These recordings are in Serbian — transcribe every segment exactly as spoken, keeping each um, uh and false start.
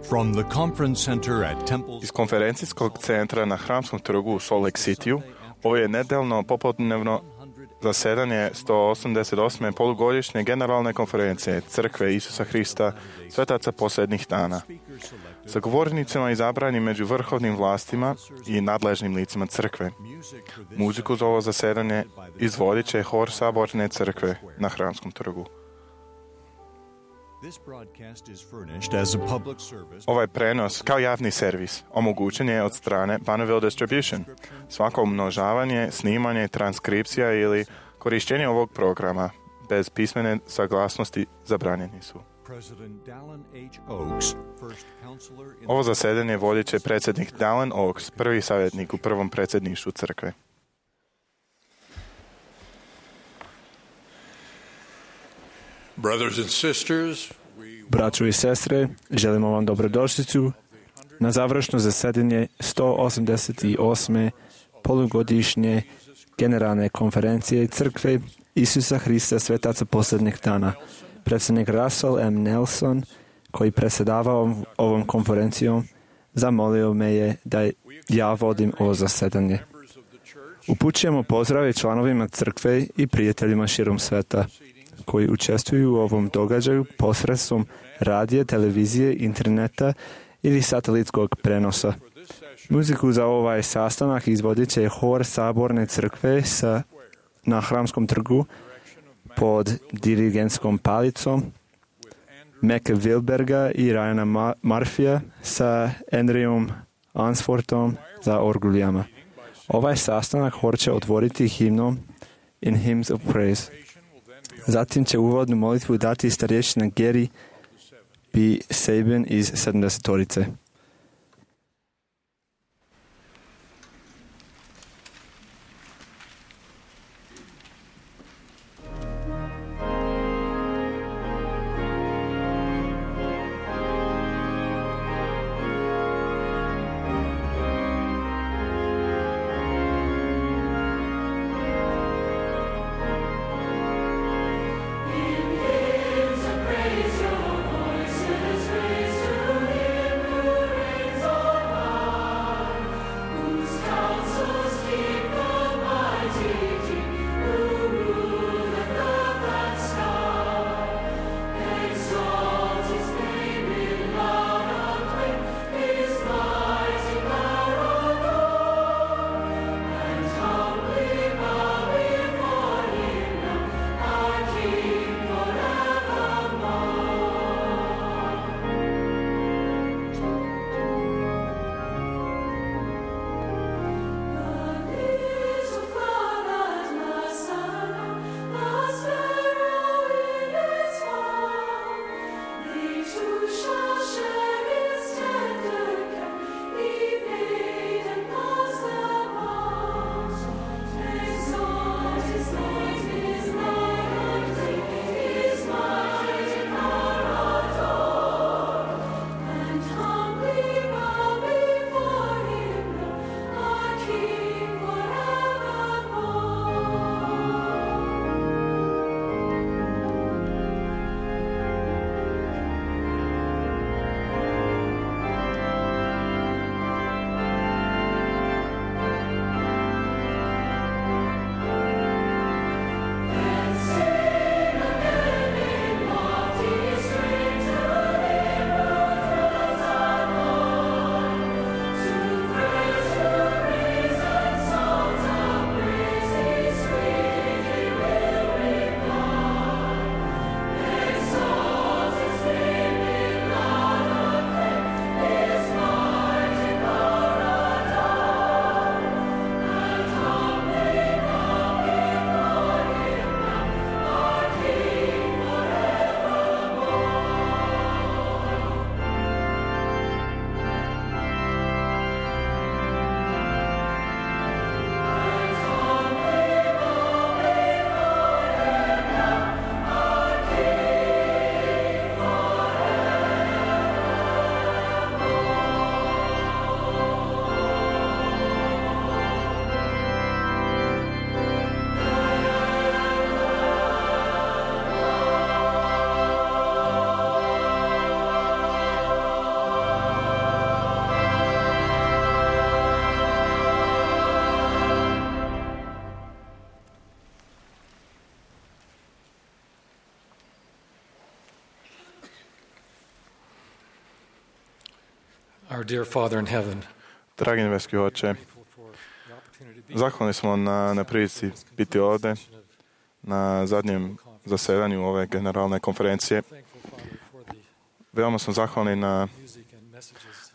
From the conference center at Temple Iz konferencijskog centra na Hramskom trgu u Salt Lake Cityu ovo je nedeljno popodnevno zasedanje sto osamdeset osme polugodišnje generalne konferencije Crkve Isusa Hrista, svetaca posljednjih dana. Sa govornicima izabrani među vrhovnim vlastima i nadležnim licima crkve. Muziku za ovo zasedanje izvodit će hor Saborne crkve na Hramskom trgu. Ovaj prenos kao javni servis omogućen je od strane Bonneville Distribution. Svako umnožavanje, snimanje, transkripcija ili korištenje ovog programa bez pismene saglasnosti zabranjeni su. Ovo zasedanje vodit će predsjednik Dallin Oaks, prvi savjetnik u prvom predsjedništvu crkve. Brothers and sisters, Braćo i sestre, želimo vam dobrodošlicu na završno zasedanje sto osamdeset osme polugodišnje generalne konferencije Crkve Isusa Hrista, svetaca posljednjih dana. Predsjednik Russell M. Nelson, koji predsjedava ovom konferencijom, zamolio me je da ja vodim ovo zasedanje. Upućujemo pozdrave članovima crkve i prijateljima širom sveta koji učestvuju u ovom događaju posredstvom radija, televizije, interneta ili satelitskog prenosa. Muziku za ovaj sastanak izvodit će hor Saborne crkve sa, na Hramskom trgu pod dirigentskom palicom Meke Wilberga i Ryana Ma- Murphyja sa Andrejom Ansfortom za orguljama. Ovaj sastanak hor će otvoriti himnom In Hymns of Praise. Zatim će uvodnu molitvu dati starješina Gary B. Sabin iz sedamdesetorice. Praise your voices, raise to him who Our dear Father in heaven, Dragi nebeski Oče, zahvalni smo na, na prilici biti ovde na zadnjem zasedanju ove generalne konferencije. Veoma smo zahvalni na,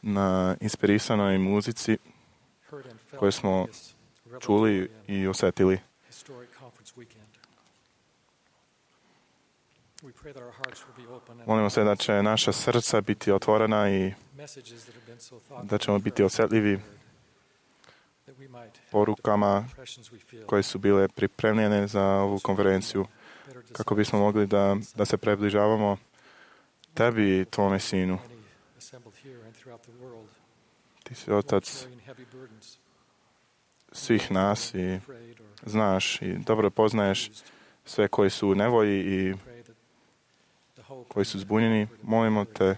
na inspirisanoj muzici koju smo čuli i osetili. Molimo se da će naša srca biti otvorena i da ćemo biti osjetljivi porukama koje su bile pripremljene za ovu konferenciju, kako bismo mogli da, da se približavamo tebi i tvome sinu. Ti si otac svih nas i znaš i dobro poznaješ sve koji su u nevolji i koji su zbunjeni. Molimo te,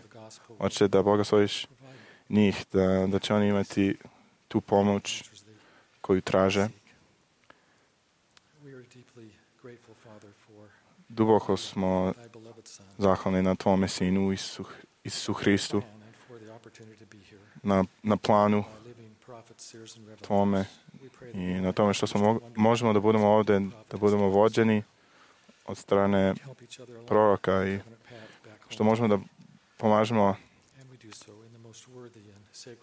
Oče, da blagosloviš njih, da, da će oni imati tu pomoć koju traže. Duboko smo zahvalni na tvome sinu Isu, Isu Hristu, na, na planu tvome i na tome što smo možemo da budemo ovde, da budemo vođeni od strane proroka i što možemo da pomažemo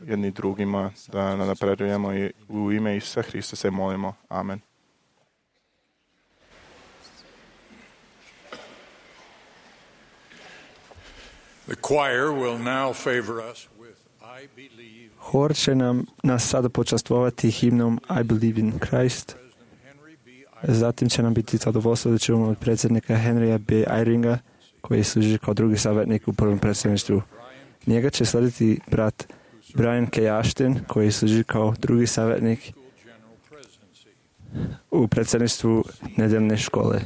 jedni drugima, da napredujemo i u ime Isusa Hrista se molimo. Amen. The choir will now favor us with I believe. Hor će nam nas sada počastvovati himnom I Believe in Christ. Zatim će nam biti zadovoljstvo da ćemo od predsjednika Henrya B. Eyringa, koji služi kao drugi savjetnik u prvom predsjedništvu. Njega će slediti brat Brian K. Ashton, koji služi kao drugi savjetnik u predsjedništvu nedeljne škole.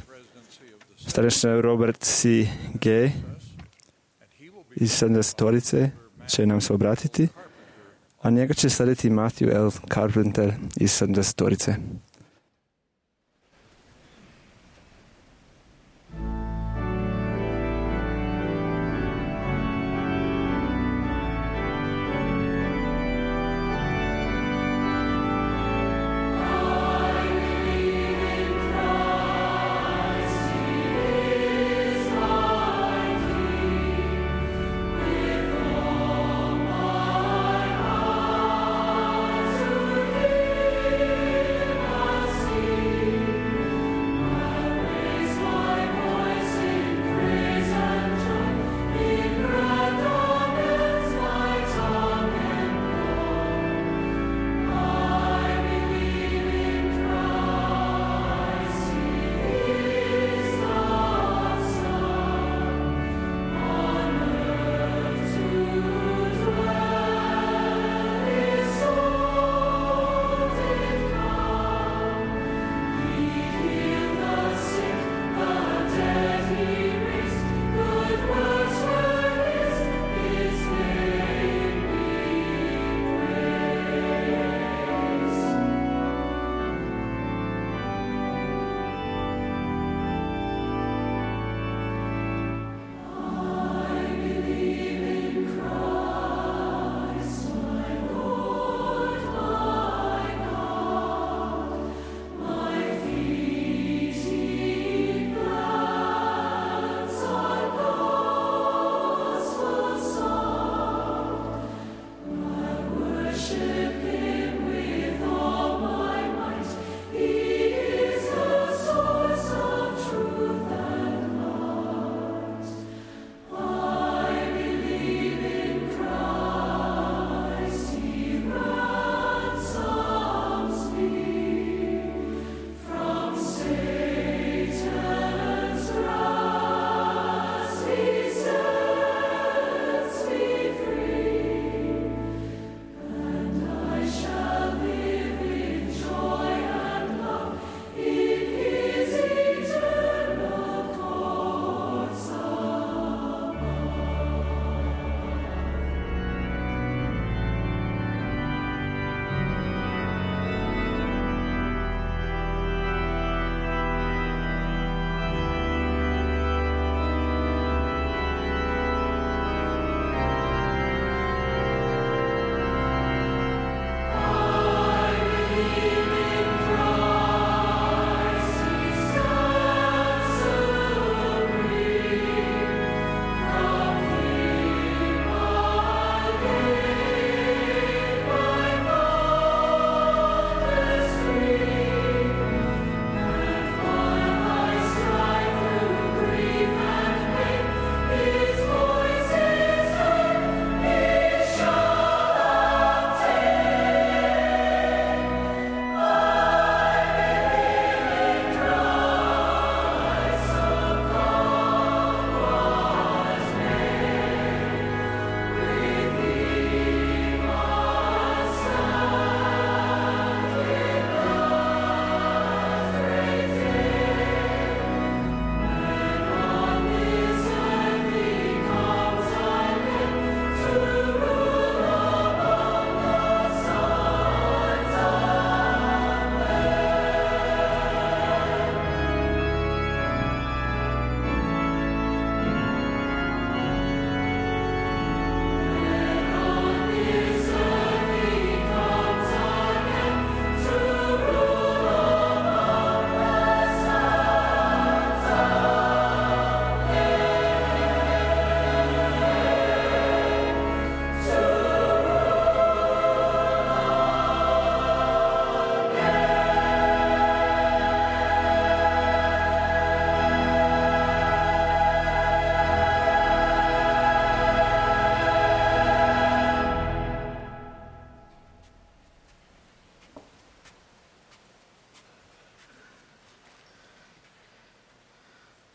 Starešina Robert C. Gay iz sedamdesetorice će nam se obratiti, a njega će slediti Matthew L. Carpenter iz sedamdesetorice. I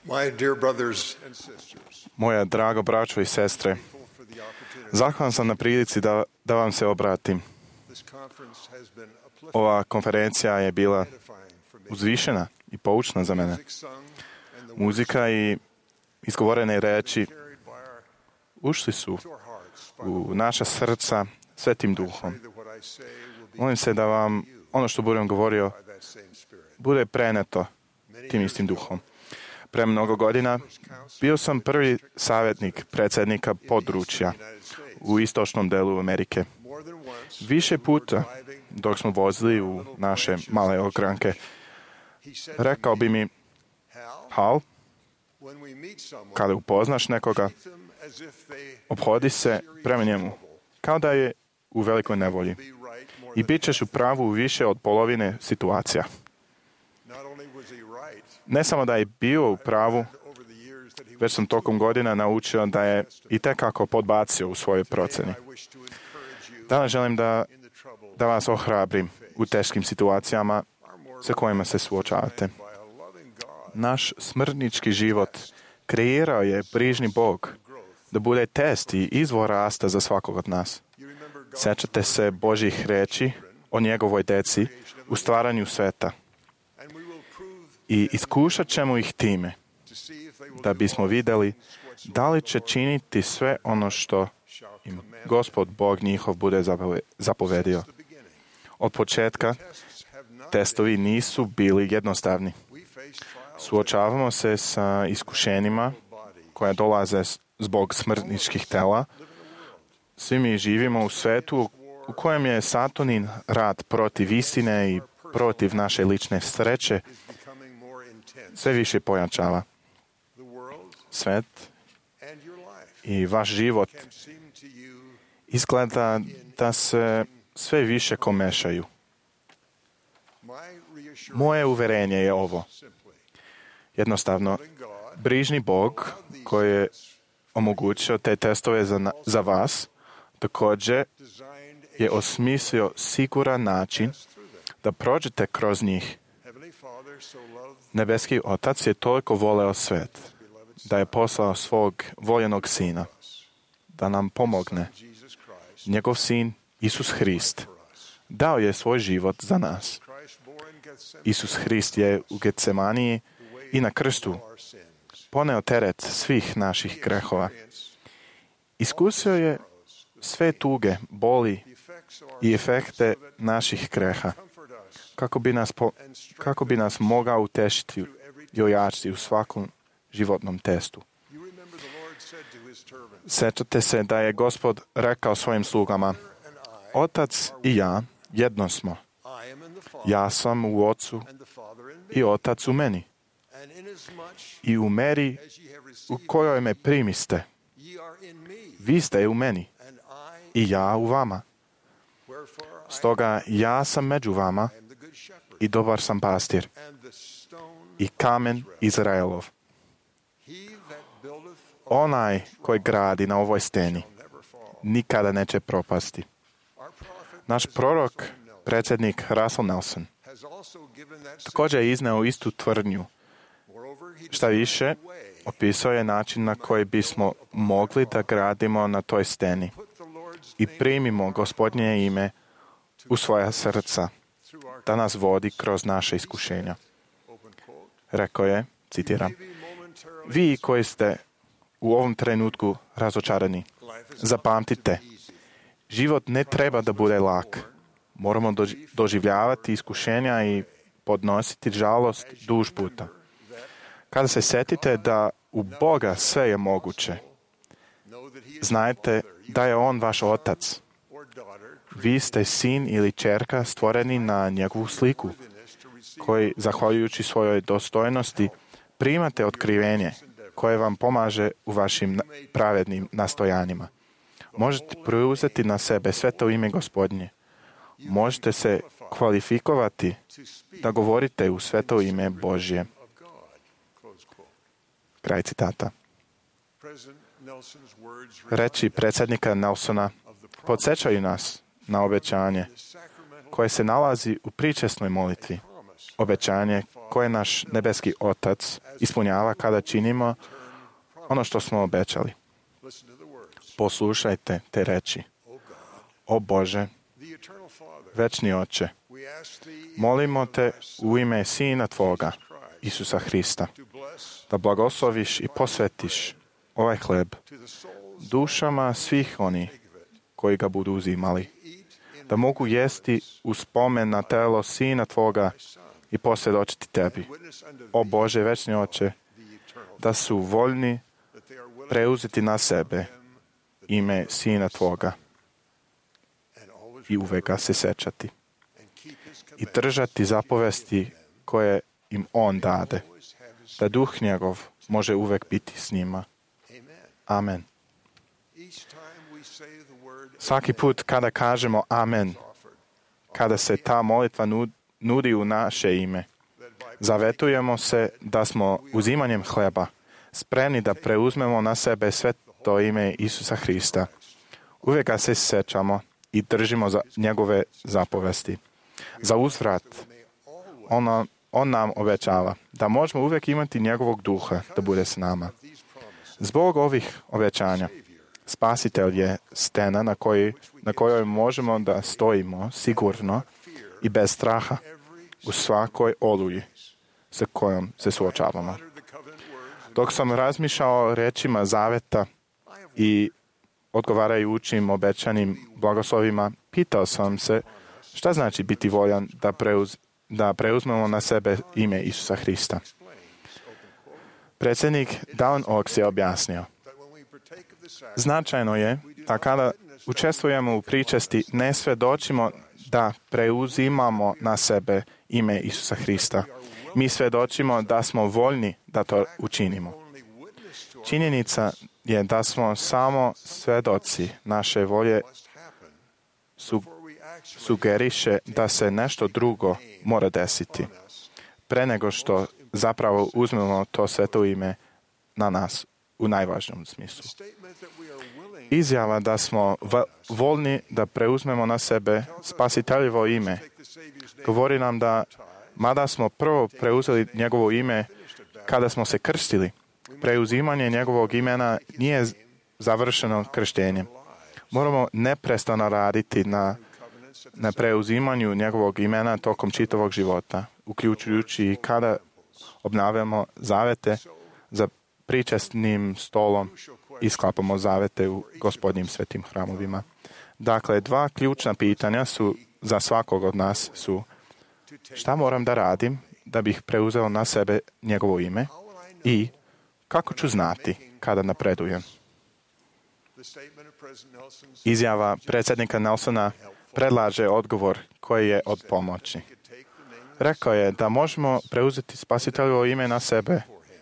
My dear brothers and sisters, Moja drago braćo i sestre, zahvalan sam na prilici da, da vam se obratim. this conference has been uplifting, Ova konferencija je bila edifying for me. uzvišena i poučna za mene. Music sung and the words Muzika i izgovorene reči carried by our, ušli su to our hearts by u naša srca svetim duhom. that what I say will be Molim se da vam ono što budem govorio by that same spirit. bude preneto tim istim duhom. Pre mnogo godina bio sam prvi savjetnik predsjednika područja u istočnom delu Amerike. More than once, Više puta, dok smo vozili u naše male ogranke, he said, rekao bi mi, Hal, Hal, when we meet someone, kada upoznaš nekoga, treat them as if they obhodi se prema njemu, kao da je u velikoj nevolji. be right more I than bit ćeš u pravu u više od polovine situacija. not only was he right Ne samo da je bio u pravu, over the years that he već sam tokom godina naučio da je i tekako podbacio u svojoj proceni. I wish to encourage you Danas želim da, in the trouble da vas ohrabrim u teškim situacijama sa kojima se suočavate. by a loving God Naš smrtnički život kreirao je brižni Bog da bude test i izvor rasta za svakog od nas. you remember God Sjećate se Božjih reči o njegovoj deci u stvaranju sveta and we will prove i iskušat ćemo ih time to see if they will da do bismo all vidjeli whatsoever da li će činiti sve ono što shall im command. Gospod Bog njihov bude zapove- zapovedio. The beginning. Od početka Tests have not testovi nisu bili jednostavni. we face trials Suočavamo se sa iskušenjima koja dolaze s- zbog smrtničkih tela. Svi mi živimo u svetu u kojem je Satanin rad protiv istine i protiv naše lične sreće is becoming more intense. sve više pojačava. The world Svet and your life i vaš život can seem to you izgleda da se sve više komešaju. my reassurance Moje uverenje je ovo. simply Jednostavno, loving God brižni Bog koji je omogućio te testove za, na- za vas, također designed je osmislio siguran način through them. da prođete kroz njih. Heavenly Father so loved Nebeski Otac je toliko voleo svet da je poslao svog voljenog sina da nam pomogne. Jesus Christ Njegov sin, Isus Hrist, dao je svoj život za nas. Christ bore in Gethsemane Isus Hrist je u Getsemaniji i na krstu our sins. poneo teret svih naših grehova. Experience Iskusio je sve tuge, boli the effects of our i efekte naših greha, comfort us kako bi nas, po, kako bi nas mogao utešiti i ojačiti u svakom životnom testu. You remember the Lord said to his servants, Sjećate se da je Gospod rekao svojim slugama, and I, Otac i ja jedno smo. I am in the Father, Ja sam u Ocu and the Father in me. i Otac u meni. And inasmuch I u meri as ye have u received, kojoj me primiste, ye are in me, vi ste u meni and I, i ja u vama. wherefore I Stoga ja sam među vama am the good shepherd, i dobar sam pastir and the stone i kamen Izraelov. he that buildeth Onaj koji gradi na ovoj steni never fall. nikada neće propasti. Our prophet Naš prorok, predsjednik Russell Nelson, has also given that same. također je izneo istu tvrdnju. Moreover, he Šta više, designed the way, opisao je način na koji bismo mogli da gradimo na toj steni put the Lord's i name primimo Gospodnje ime u svoja srca, through our da nas vodi kroz naše iskušenja. open quote. Rekao je, citiram, Maybe momentarily vi koji ste u ovom trenutku razočarani, life is zapamtite, život ne treba da bude lak. Moramo doži- doživljavati iskušenja i podnositi žalost duž puta. Kada se setite da u Boga sve je moguće, know that he is znajte da je On vaš Otac. or daughter Vi ste sin ili čerka stvoreni na njegovu sliku, created to receive koji, zahvaljujući svojoj dostojnosti, primate otkrivenje koje vam pomaže u vašim na- pravednim nastojanjima. Možete preuzeti na sebe sve to ime Gospodnje. Možete se kvalifikovati to speak da govorite u sveto ime Božje. of God. Close quote. Kraj citata. President Nelson's words Reči predsjednika Nelsona of the podsjećaju nas na obećanje sacramental koje se nalazi u pričesnoj molitvi promise obećanje koje naš nebeski Otac ispunjava kada činimo ono što smo obećali. Poslušajte te reči. O Bože, večni Oče, molimo te u ime Sina Tvoga, Isusa Hrista, da blagosloviš i posvetiš ovaj hleb dušama svih oni koji ga budu uzimali, da mogu jesti u spomen na telo Sina Tvoga i posvjedočiti Tebi. O Bože, večni Oče, da su voljni preuzeti na sebe ime Sina Tvoga i uvek ga se sećati i držati zapovesti koje im On dade, da duh njegov može uvek biti s njima. Amen. Svaki put kada kažemo amen, kada se ta molitva nudi u naše ime, zavetujemo se da smo uzimanjem hleba spremni da preuzmemo na sebe sve to ime Isusa Hrista. Uvijek ga se sećamo i držimo za njegove zapovesti. Za uzvrat, on, on nam obećava da možemo uvijek imati njegovog duha da bude s nama. Zbog ovih obećanja, Spasitelj je stena na, koji, na kojoj možemo da stojimo sigurno i bez straha u svakoj oluji sa kojom se suočavamo. Dok sam razmišljao o rečima zaveta i odgovarajućim obećanim blagoslovima, pitao sam se šta znači biti voljan da, preuz, da preuzmemo na sebe ime Isusa Hrista. Predsjednik Dallin Oaks je objasnio: značajno je da kada učestvujemo u pričesti ne svjedočimo da preuzimamo na sebe ime Isusa Hrista. Mi svjedočimo da smo voljni da to učinimo. Činjenica je da smo samo svjedoci naše volje su, sugeriše da se nešto drugo mora desiti pre nego što zapravo uzmemo to sveto ime na nas u najvažnijem smislu. Izjava da smo voljni da preuzmemo na sebe Spasiteljevo ime govori nam da, mada smo prvo preuzeli njegovo ime kada smo se krstili, preuzimanje njegovog imena nije završeno krštenjem. Moramo neprestano raditi na, na preuzimanju njegovog imena tokom čitavog života, uključujući i kada obnavljamo zavete za pričestnim stolom i sklapamo zavete u Gospodnjim svetim hramovima. Dakle, dva ključna pitanja su za svakog od nas su: šta moram da radim da bih preuzeo na sebe njegovo ime i kako ću znati kada napredujem? Izjava predsjednika Nelsona predlaže odgovor koji je od pomoći. Rekao je da možemo preuzeti Spasiteljevo ime na sebe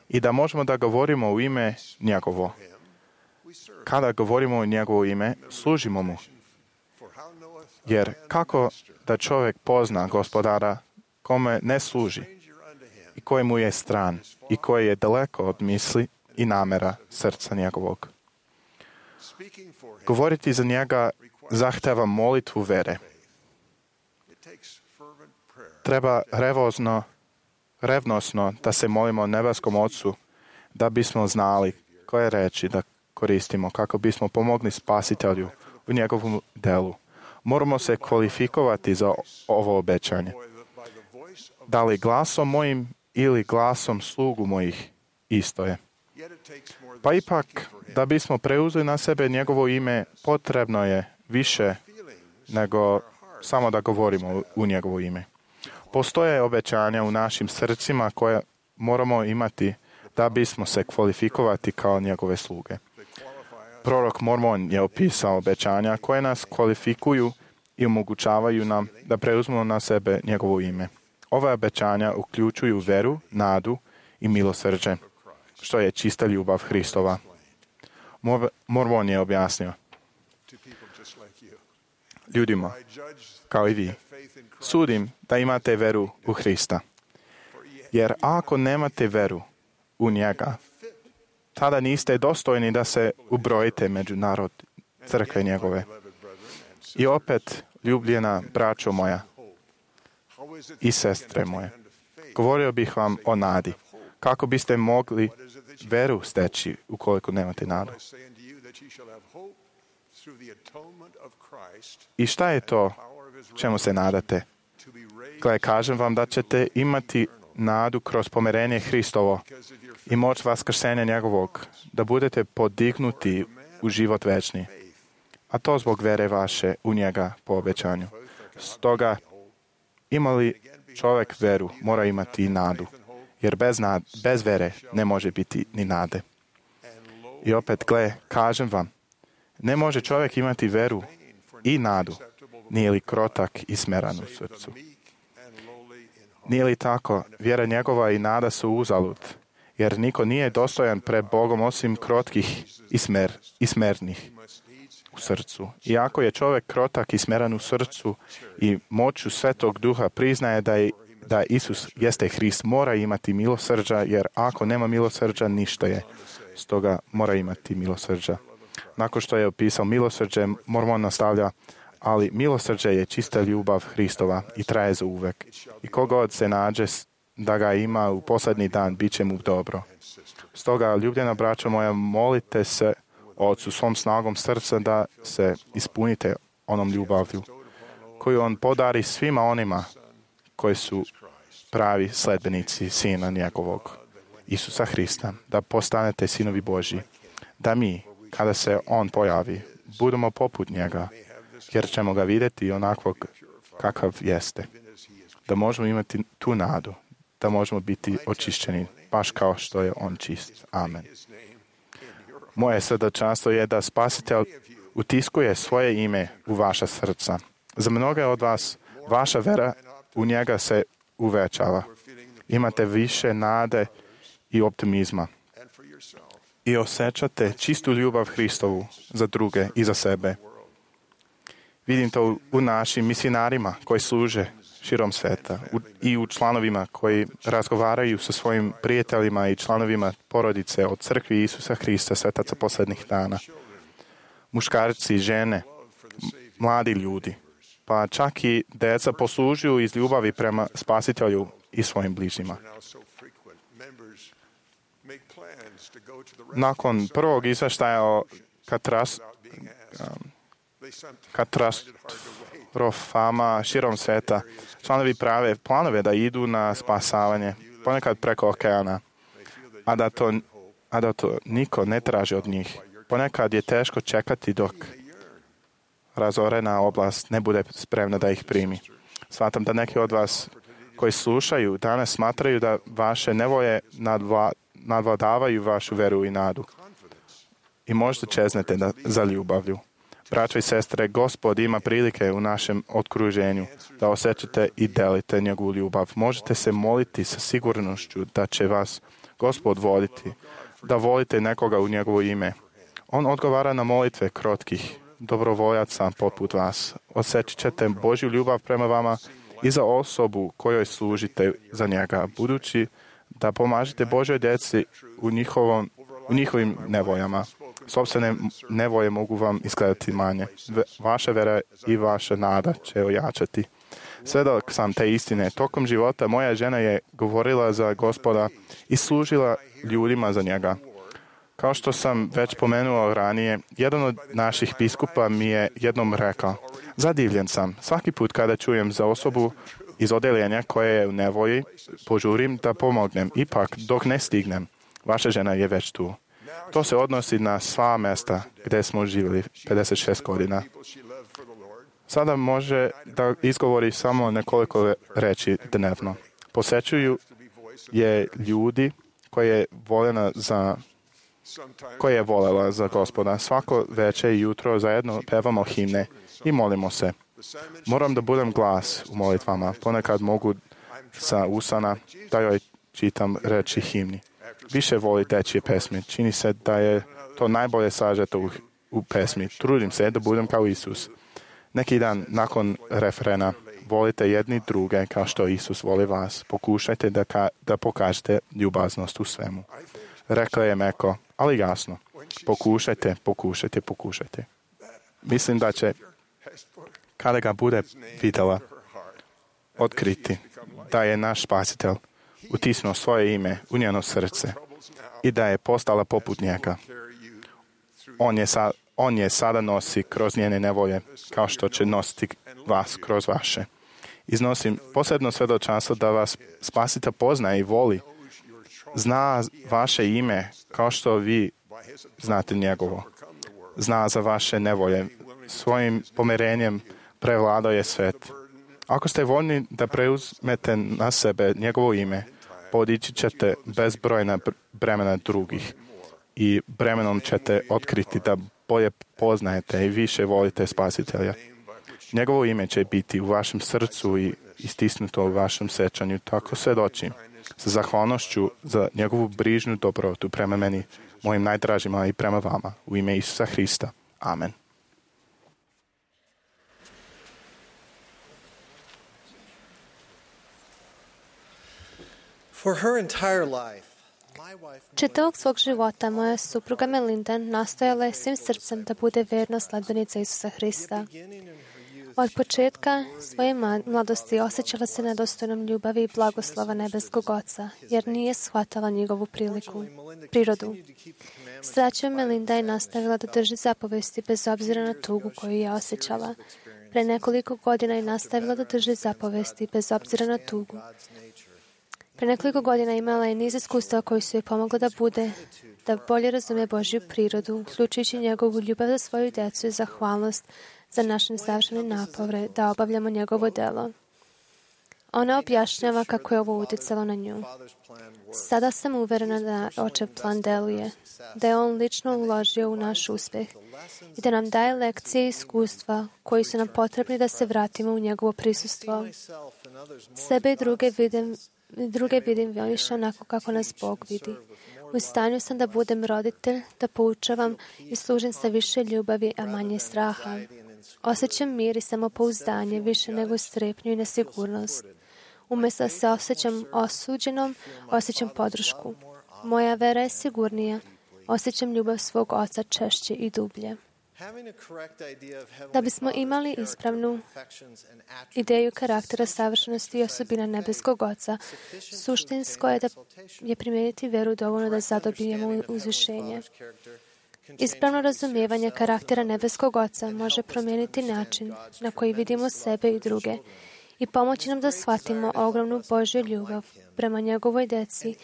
i da možemo da govorimo u ime njegovo. Kada govorimo u njegovo ime, služimo mu. Jer kako da čovjek pozna Gospodara kome ne služi i koji mu je stran i koji je daleko od misli i namera srca njegovog? Govoriti za njega zahteva molitvu vere. Treba revozno, revnosno da se molimo nebeskom Ocu da bismo znali koje reči da koristimo kako bismo pomogli Spasitelju u njegovom delu. Moramo se kvalifikovati za ovo obećanje. Da li glasom mojim ili glasom slugu mojih, isto je. Pa ipak, da bismo preuzeli na sebe njegovo ime, potrebno je više nego samo da govorimo u njegovo ime. Postoje obećanja u našim srcima koje moramo imati da bismo se kvalifikovati kao njegove sluge. Prorok Mormon je opisao obećanja koje nas kvalifikuju i omogućavaju nam da preuzmemo na sebe njegovo ime. Ove obećanja uključuju veru, nadu i milosrđe, što je čista ljubav Hristova. Mormon je objasnio ljudima, kao i vi, sudim da imate veru u Hrista. Jer ako nemate veru u njega, tada niste dostojni da se ubrojite među narod crkve njegove. I opet, ljubljena braćo moja i sestre moje, Govorio bih vam o nadi. Kako biste mogli veru steći ukoliko nemate nadu? I šta je to čemu se nadate? Gle, kažem vam da ćete imati nadu kroz pomirenje Hristovo i moć vaskrsenja njegovog, da budete podignuti u život večni. A to zbog vere vaše u njega po obećanju. Stoga, ima li čovjek veru, mora imati i nadu. Jer bez, nad, bez vere ne može biti ni nade. I opet, gle, kažem vam, ne može čovjek imati veru i nadu, nije li krotak i smeran u srcu. Nije li tako, vjera njegova i nada su uzalud, jer niko nije dostojan pred Bogom osim krotkih i, smer, i smernih u srcu. Iako je čovjek krotak i smeran u srcu i moću Svetog Duha priznaje da je da Isus jeste Hrist, mora imati milosrđa, jer ako nema milosrđa, ništa je. Stoga mora imati milosrđa. Nakon što je opisao milosrđe, Mormon nastavlja, ali milosrđe je čista ljubav Hristova i traje za uvek. I kogod se nađe da ga ima u posljednji dan, bit će mu dobro. Stoga, ljubljena braćo moja, molite se Otcu svom snagom srca da se ispunite onom ljubavlju koju on podari svima onima koji su pravi sledbenici Sina njegovog, Isusa Hrista, da postanete sinovi Božji, da mi, kada se on pojavi, budemo poput njega, jer ćemo ga vidjeti onakvog kakav jeste, da možemo imati tu nadu, da možemo biti očišćeni, baš kao što je on čist. Amen. Moje srdačanstvo je da Spasitelj utiskuje svoje ime u vaša srca. Za mnoge od vas, vaša vera u njega se uvećava. Imate više nade i optimizma. I osjećate čistu ljubav Hristovu za druge i za sebe. Vidim to u našim misionarima koji služe širom sveta i u članovima koji razgovaraju sa svojim prijateljima i članovima porodice od crkvi Isusa Hrista, svetaca posljednjih dana. Muškarci, žene, mladi ljudi, pa čak i deca poslužuju iz ljubavi prema Spasitelju i svojim bližnjima. Nakon prvog izvještaja o katras, katastrofama širom sveta, članovi prave planove da idu na spasavanje, ponekad preko okeana, a da to, a da to niko ne traži od njih. Ponekad je teško čekati dok razorena oblast ne bude spremna da ih primi. Smatram da neki od vas koji slušaju danas smatraju da vaše nevolje nadvla, nadvladavaju vašu veru i nadu. I možda čeznete da, za ljubavlju. Braćo i sestre, Gospod ima prilike u našem okruženju da osjećate i delite njegovu ljubav. Možete se moliti sa sigurnošću da će vas Gospod voliti, da volite nekoga u njegovo ime. On odgovara na molitve krotkih dobrovoljaca poput vas. Osjećat ćete Božju ljubav prema vama i za osobu kojoj služite za njega, budući da pomažete Božoj djeci u, njihovom, u njihovim nevoljama. Sopstvene nevoje mogu vam izgledati manje. Vaša vera i vaša nada će ojačati. Svjedok sam te istine. Tokom života moja žena je govorila za Gospoda i služila ljudima za njega. Kao što sam već pomenuo ranije, jedan od naših biskupa mi je jednom rekao, zadivljen sam, svaki put kada čujem za osobu iz odeljenja koja je u nevolji, požurim da pomognem, ipak dok ne stignem, vaša žena je već tu. To se odnosi na sva mjesta gdje smo živjeli pedeset šest godina. Sada može da izgovori samo nekoliko reči dnevno. Posjećuju je ljudi koje je voljena za koje je voljela za Gospoda. Svako večer i jutro zajedno pevamo himne i molimo se. Moram da budem glas u molitvama. Ponekad mogu sa usana da joj čitam reči himni. Više voli dečje pesmi. Čini se da je to najbolje sažeto u, u pesmi. Trudim se da budem kao Isus. Neki dan nakon refrena volite jedni druge kao što Isus voli vas. Pokušajte da, ka, da pokažete ljubaznost u svemu. Rekla je meko, ali jasno. Pokušajte, pokušajte, pokušajte. Mislim da će, kada ga bude vidjela, otkriti da je naš Spasitelj utisnuo svoje ime u njeno srce i da je postala poput njega. On je, sa, on je sada nosi kroz njene nevolje, kao što će nositi vas kroz vaše. Iznosim posebno svedočanstvo da vas Spasitelj poznaje i voli. Zna vaše ime kao što vi znate njegovo. Zna za vaše nevolje. Svojim pomerenjem prevladao je svet. Ako ste voljni da preuzmete na sebe njegovo ime, podići ćete bezbrojna bremena drugih i bremenom ćete otkriti da bolje poznajete i više volite Spasitelja. Njegovo ime će biti u vašem srcu i istisnuto u vašem sećanju. Tako svedočim sa zahvalnošću za njegovu brižnu dobrotu prema meni, mojim najdražima i prema vama. U ime Isusa Hrista. Amen. For her entire life, čitavog svog života moja supruga Melinda nastojala je svim srcem da bude verna sledbenica Isusa Hrista. Od početka svoje mladosti osjećala se nedostojnom ljubavi i blagoslova nebeskog Oca, jer nije shvatala njegovu priliku, prirodu. Srećom, Melinda je nastavila da drži zapovesti bez obzira na tugu koju je osjećala. Pre nekoliko godina je nastavila da drži zapovesti bez obzira na tugu. Pre nekoliko godina imala je niz iskustva koji su joj pomogli da bude, da bolje razume Božju prirodu, uključujući njegovu ljubav za svoju djecu i zahvalnost za naše nesavršene napore da obavljamo njegovo delo. Ona objašnjava kako je ovo utjecalo na nju. Sada sam uverena da očev plan deluje, da je on lično uložio u naš uspjeh i da nam daje lekcije i iskustva koji su nam potrebni da se vratimo u njegovo prisustvo. Sebe i druge vidim Druge vidim više onako kako nas Bog vidi. U stanju sam da budem roditelj, da poučavam i služim sa više ljubavi, a manje straha. Osjećam mir i samopouzdanje više nego strepnju i nesigurnost. Umjesto da se osjećam osuđenom, osjećam podršku. Moja vera je sigurnija. Osjećam ljubav svog Oca češće i dublje. Da bismo imali ispravnu ideju karaktera savršenosti i osobina nebeskog Oca, suštinsko je da je primijeniti veru dovoljno da zadobijemo uzvišenje. Ispravno razumijevanje karaktera nebeskog Oca može promijeniti način na koji vidimo sebe i druge i pomoći nam da shvatimo ogromnu Božju ljubav prema njegovoj djeci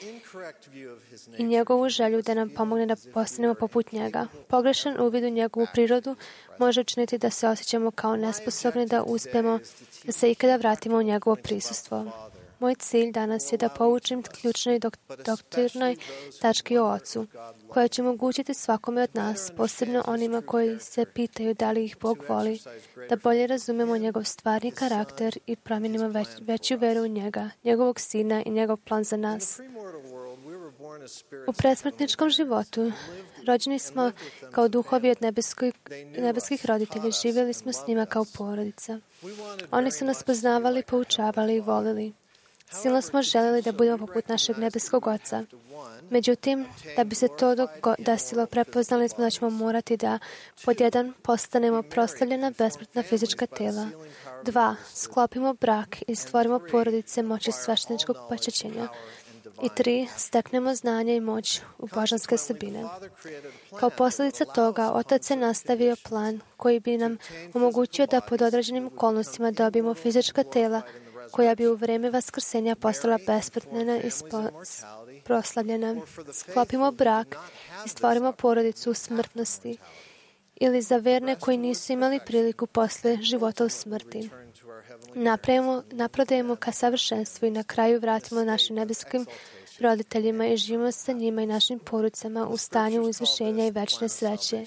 i njegovu želju da nam pomogne da postanemo poput njega. Pogrešan uvid u njegovu prirodu može učiniti da se osjećamo kao nesposobni da uspijemo da se ikada vratimo u njegovo prisustvo. Moj cilj danas je da poučim ključnoj dok- doktrinoj tački o Ocu, koja će omogućiti svakome od nas, posebno onima koji se pitaju da li ih Bog voli, da bolje razumemo njegov stvarni karakter i promijenimo već, veću veru u njega, njegovog Sina i njegov plan za nas. U predsmrtničkom životu rođeni smo kao duhovi od nebeskoj, nebeskih roditelja, živjeli smo s njima kao porodica. Oni su nas poznavali, poučavali i volili. Silno smo željeli da budemo poput našeg nebeskog Oca. Međutim, da bi se to desilo, prepoznali smo da ćemo morati da pod jedan postanemo proslavljena besmrtna fizička tela. Dva, sklopimo brak i stvorimo porodice moći svešteničkog počećenja. I tri, steknemo znanje i moć u božanske osobine. Kao posljedica toga, Otac je nastavio plan koji bi nam omogućio da pod određenim okolnostima dobijemo fizička tela koja bi u vrijeme vaskrsenja postala besmrtna i proslavljena. Sklopimo brak i stvorimo porodicu u smrtnosti ili za verne koji nisu imali priliku posle života u smrti. Napravimo, naprodajemo ka savršenstvu i na kraju vratimo našim nebeskim roditeljima i živimo sa njima i našim porodicama u stanju uzvišenja i večne sreće.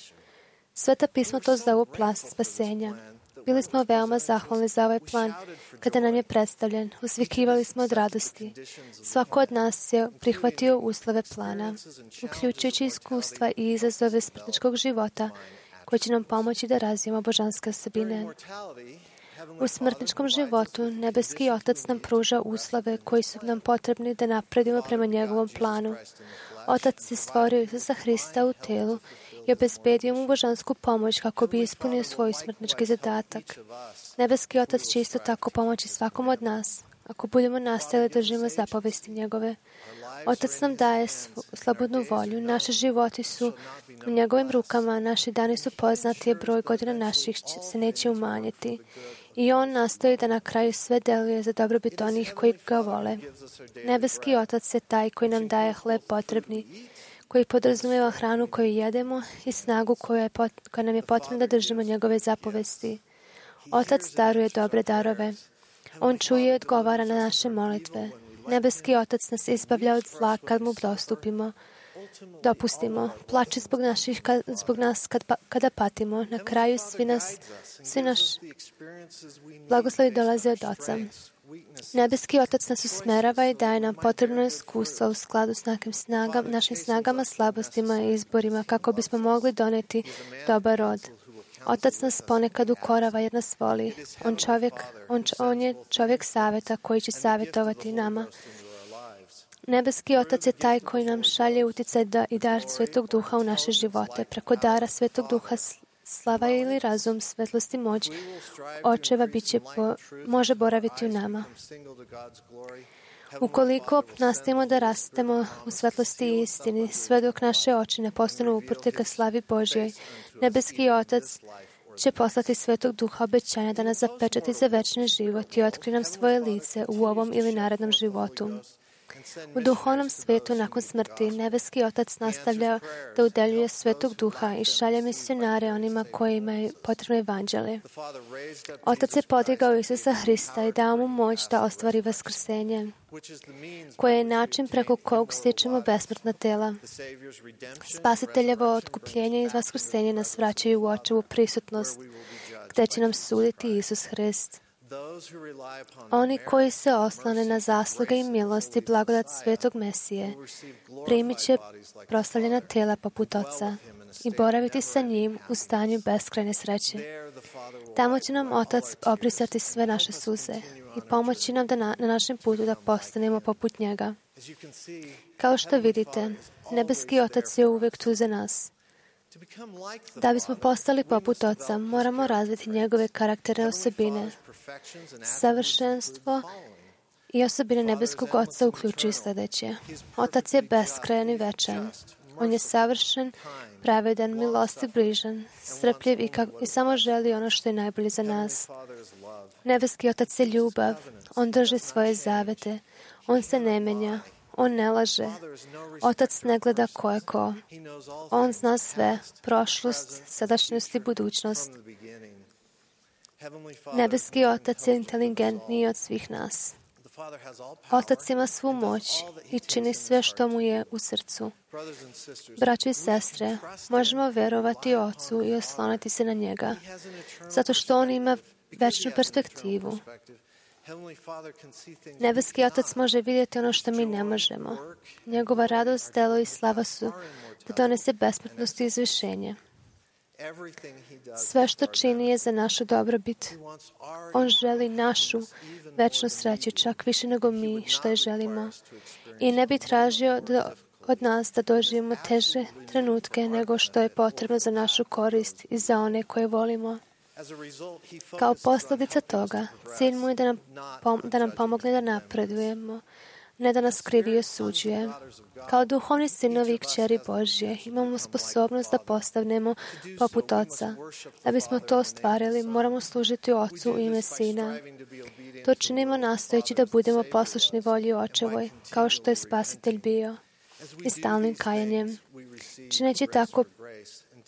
Sveta pisma to zovu plan spasenja. Bili smo veoma zahvalni za ovaj plan kada nam je predstavljen. Usvikivali smo od radosti. Svako od nas je prihvatio uslove plana, uključujući iskustva i izazove smrtničkog života koji će nam pomoći da razvijemo božanske osobine. U smrtničkom životu nebeski Otac nam pruža uslove koji su nam potrebni da napredimo prema njegovom planu. Otac je stvorio Isusa Hrista u telu i obezbedio mu božansku pomoć kako bi ispunio svoj smrtnički zadatak. Nebeski Otac će isto tako pomoći svakom od nas, ako budemo nastavili da živimo zapovesti njegove. Otac nam daje svu, slobodnu volju. Naši životi su u njegovim rukama, naši dani su poznati, broj godina naših se neće umanjiti. I on nastoji da na kraju sve deluje za dobrobit onih koji ga vole. Nebeski Otac je taj koji nam daje hleb potrebni, koji podrazumijeva hranu koju jedemo i snagu koja, je pot, koja nam je potrebna da držimo njegove zapovesti. Otac daruje dobre darove. On čuje i odgovara na naše molitve. Nebeski Otac nas izbavlja od zla kad mu dostupimo. Dopustimo. Plače zbog, naših, zbog nas kad, kada patimo. Na kraju svi, nas, svi naš blagoslovi dolaze od Oca. Nebeski Otac nas usmerava i daje nam potrebno iskustvo u skladu s našim snagama, našim snagama, slabostima i izborima kako bismo mogli doneti dobar rod. Otac nas ponekad ukorava jer nas voli. On, čovjek, on, on je čovjek savjeta koji će savjetovati nama. Nebeski Otac je taj koji nam šalje uticaj da i dar Svetog Duha u naše živote. Preko dara Svetog Duha slava ili razum, svetlost i moć očeva biće po, može boraviti u nama. Ukoliko nastavimo da rastemo u svetlosti i istini, sve dok naše oči ne postanu uprte ka slavi Božjoj, Nebeski Otac će poslati Svetog Duha obećanja da nas zapečati za večni život i otkri nam svoje lice u ovom ili narednom životu. U duhovnom svetu nakon smrti Nebeski Otac nastavlja da udeljuje Svetog Duha i šalje misionare onima kojima je potrebno evanđelje. Otac je podigao Isusa Hrista i dao mu moć da ostvari vaskrsenje, koje je način preko kog stičemo besmrtna tela. Spasiteljevo otkupljenje i vaskrsenje nas vraćaju u očevu prisutnost, gde će nam suditi Isus Hrist. Oni koji se oslone na zasluge i milost i blagodat Svetog Mesije primit će proslavljena tela poput Oca i boraviti sa njim u stanju beskrajne sreće. Tamo će nam Otac obrisati sve naše suze i pomoći nam da na, na našem putu da postanemo poput njega. Kao što vidite, Nebeski Otac je uvijek tu za nas. Da bismo postali poput Oca, moramo razviti njegove karakterne osobine. Savršenstvo i osobine Nebeskog Oca uključuju sljedeće. Otac je beskrajan i večan. On je savršen, pravedan, milostiv, brižan, strpljiv i, kak- i samo želi ono što je najbolje za nas. Nebeski Otac je ljubav. On drži svoje zavete. On se ne menja. On ne laže. Otac ne gleda ko je ko. On zna sve, prošlost, sadašnjost i budućnost. Nebeski Otac je inteligentniji od svih nas. Otac ima svu moć i čini sve što mu je u srcu. Braćo i sestre, možemo verovati Ocu i osloniti se na njega, zato što on ima večnu perspektivu. Nebeski Otac može vidjeti ono što mi ne možemo. Njegova radost, delo i slava su da donese besmrtnost i izvišenje. Sve što čini je za našu dobrobit. On želi našu večnu sreću, čak više nego mi što je želimo. I ne bi tražio da, od nas da doživimo teže trenutke nego što je potrebno za našu korist i za one koje volimo. Kao posljedica toga, cilj mu je da nam, pom- da nam pomogne da napredujemo, ne da nas krivi i osuđuje. Kao duhovni sinovi i kćeri Božje imamo sposobnost da postavnemo poput Oca. Da bismo to ostvarili, moramo služiti Ocu u ime Sina. To činimo nastojeći da budemo poslušni volji Očevoj, kao što je Spasitelj bio, i stalnim kajanjem. Čineći tako,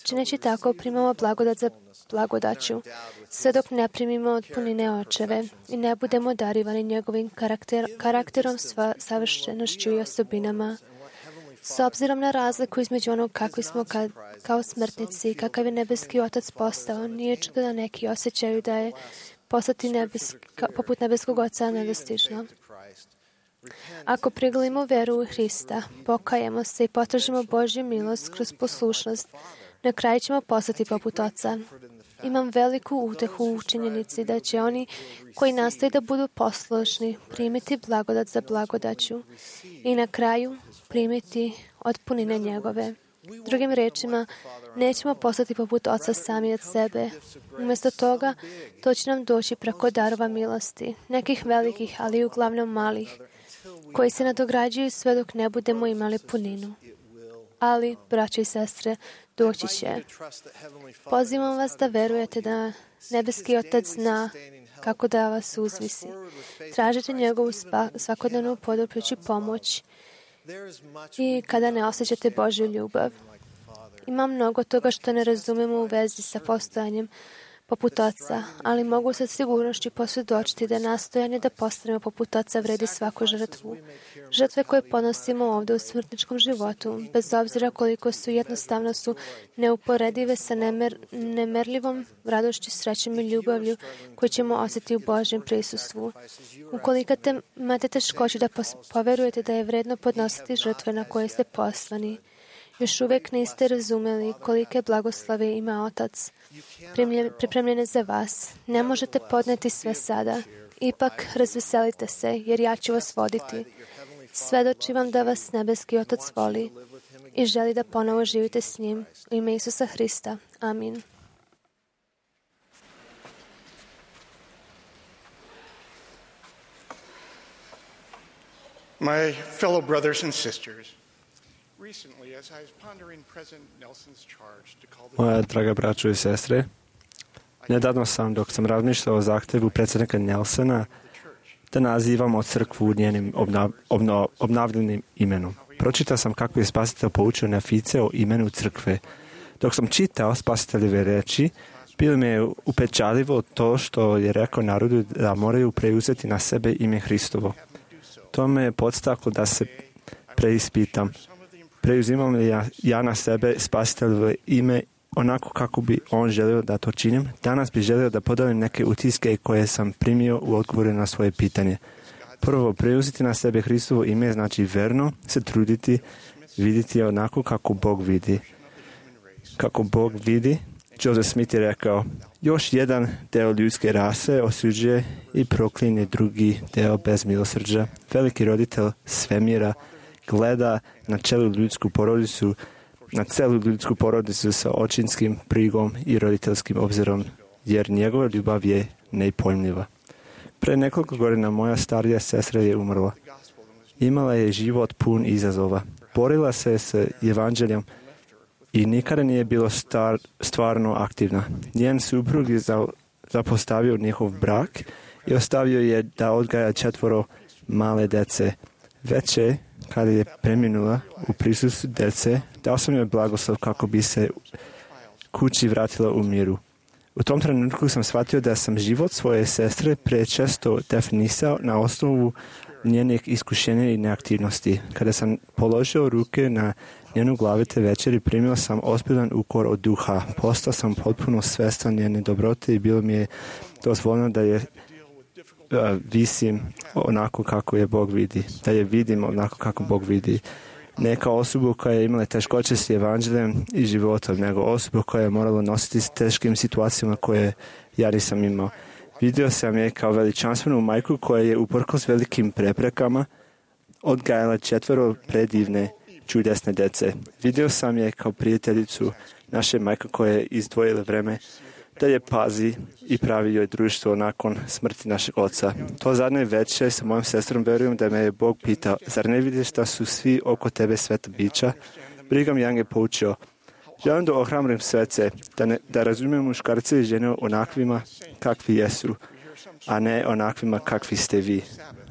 čineći tako primamo blagodat za blagodaću, sve dok ne primimo od punine Očeve i ne budemo darivani njegovim karakter, karakterom, sva, savršenošću i osobinama. S obzirom na razliku između onog kakvi smo kad, kao smrtnici i kakav je Nebeski Otac postao, nije čudo da neki osjećaju da je postati nebeska, poput Nebeskog Oca nedostižno. Ako priglimo veru u Hrista, pokajemo se i potražimo Božju milost kroz poslušnost, na kraju ćemo postati poput Oca. Imam veliku utehu u činjenici da će oni koji nastoje da budu poslušni primiti blagodat za blagodaću i na kraju primiti od punine njegove. Drugim rečima, nećemo postati poput Oca sami od sebe. Umjesto toga, to će nam doći preko darova milosti, nekih velikih, ali uglavnom malih, koji se nadograđuju sve dok ne budemo imali puninu. Ali, braće i sestre, doći će. Pozivam vas da verujete da nebeski Otac zna kako da vas uzvisi. Tražite njegovu svakodnevnu poduprujuću pomoć i kada ne osjećate Božju ljubav. Ima mnogo toga što ne razumemo u vezi sa postojanjem poput Oca, ali mogu sa sigurnošću posvjedočiti da nastojanje da postanemo poput Oca vredi svaku žrtvu. Žrtve koje ponosimo ovdje u smrtničkom životu, bez obzira koliko su jednostavno su neuporedive sa nemer, nemerljivom radošću, srećom i ljubavlju koju ćemo osjetiti u Božjem prisustvu. Ukoliko te, imate teškoću da poverujete da je vredno podnositi žrtve na koje ste poslani, još uvijek niste razumeli kolike blagoslove ima Otac pripremljene za vas. Ne možete podneti sve sada. Ipak razveselite se, jer ja ću vas voditi. Svedoči vam da vas nebeski Otac voli i želi da ponovo živite s njim. U ime Isusa Hrista. Amin. My fellow brothers and sisters, recently as I was pondering President Nelson's charge to call the Moja draga braćo i sestre, nedavno sam, dok sam razmišljao o zahtjevu predsjednika Nelsona da nazivamo crkvu njenim obnav, obno, obnavljenim imenom. Pročitao sam kako je spasitelj poučio Nefice o imenu crkve. Dok sam čitao spasiteljeve reči, bilo mi je upečatljivo to što je rekao narodu da moraju preuzeti na sebe ime Hristovo. To me je podstaklo da se preispitam. Preuzimam li ja, ja na sebe spasiteljevo ime onako kako bi on želio da to činim? Danas bi želio da podelim neke utiske koje sam primio u odgovoru na svoje pitanje. Prvo, preuzeti na sebe Hristovo ime znači verno se truditi, vidjeti onako kako Bog vidi. Kako Bog vidi, Joseph Smith je rekao, još jedan deo ljudske rase osuđuje i proklinje drugi deo bez milosrđa. Veliki roditelj svemira gleda na celu ljudsku porodicu, na celu ljudsku porodicu sa očinskim brigom i roditeljskim obzirom, jer njegova ljubav je nepojmljiva. Pre nekoliko godina moja starija sestra je umrla. Imala je život pun izazova. Borila se s evanđeljem i nikada nije bilo star, stvarno aktivna. Njen suprug je za, zapostavio njihov brak i ostavio je da odgaja četvoro male dece. Veće, kada je preminula u prisustvu dece, dao sam joj blagoslov kako bi se kući vratila u miru. U tom trenutku sam shvatio da sam život svoje sestre prečesto definisao na osnovu njenih iskušenja i neaktivnosti. Kada sam položio ruke na njenu glavu te večeri, primio sam ozbiljan ukor od duha. Postao sam potpuno svestan njene dobrote i bilo mi je dozvoljeno da je uh, visim onako kako je Bog vidi. Da je vidim onako kako Bog vidi. Neka osoba koja je imala teškoće s evanđeljem i životom, nego osoba koja je morala nositi s teškim situacijama koje ja nisam imao. Vidio sam je kao veličanstvenu majku koja je uprkos velikim preprekama odgajala četvero predivne, čudesne dece. Vidio sam je kao prijateljicu naše majke koja je izdvojila vreme da je pazi i pravi joj društvo nakon smrti našeg oca. To zadnje večer sa mojom sestrom verujem da me je Bog pitao, zar ne vidiš da su svi oko tebe sveta bića? Brigham Young je poučio, želim da ohrabrim svece, da, ne, da razumijem muškarce i žene onakvima kakvi jesu, a ne onakvima kakvi ste vi.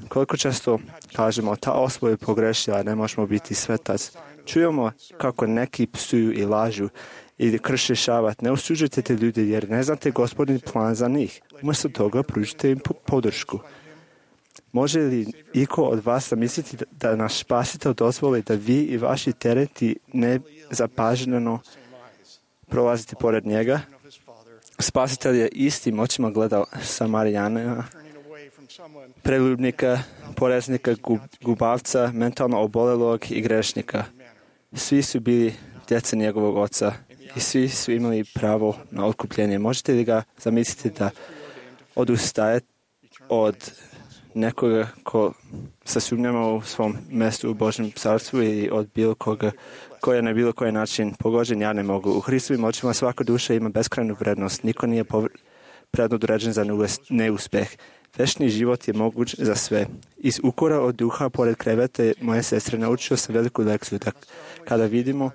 Koliko često kažemo, ta osoba je pogrešila, ne možemo biti svetac. Čujemo kako neki psuju i lažu i krše šabat. Ne osuđujte te ljude jer ne znate Gospodin plan za njih. Umjesto toga pružite im podršku. Može li iko od vas zamisliti da naš spasitelj dozvoli da vi i vaši tereti ne zapaženo prolazite pored njega? Spasitelj je istim očima gledao Samarijana, preljubnika, poreznika, gubavca, mentalno obolelog i grešnika. Svi su bili djeca njegovog oca i svi su imali pravo na otkupljenje. Možete li ga zamisliti da odustaje od nekoga ko se sumnjamo u svom mjestu u Božjem carstvu i od bilo koga koji je na bilo koji način pogođen, ja ne mogu. U Hristovim očima svaka duša ima beskrajnu vrednost. Niko nije predodređen za neuspeh. Večni život je moguć za sve. Iz ukora od duha pored krevete moje sestre naučio sam veliku lekciju da kada vidimo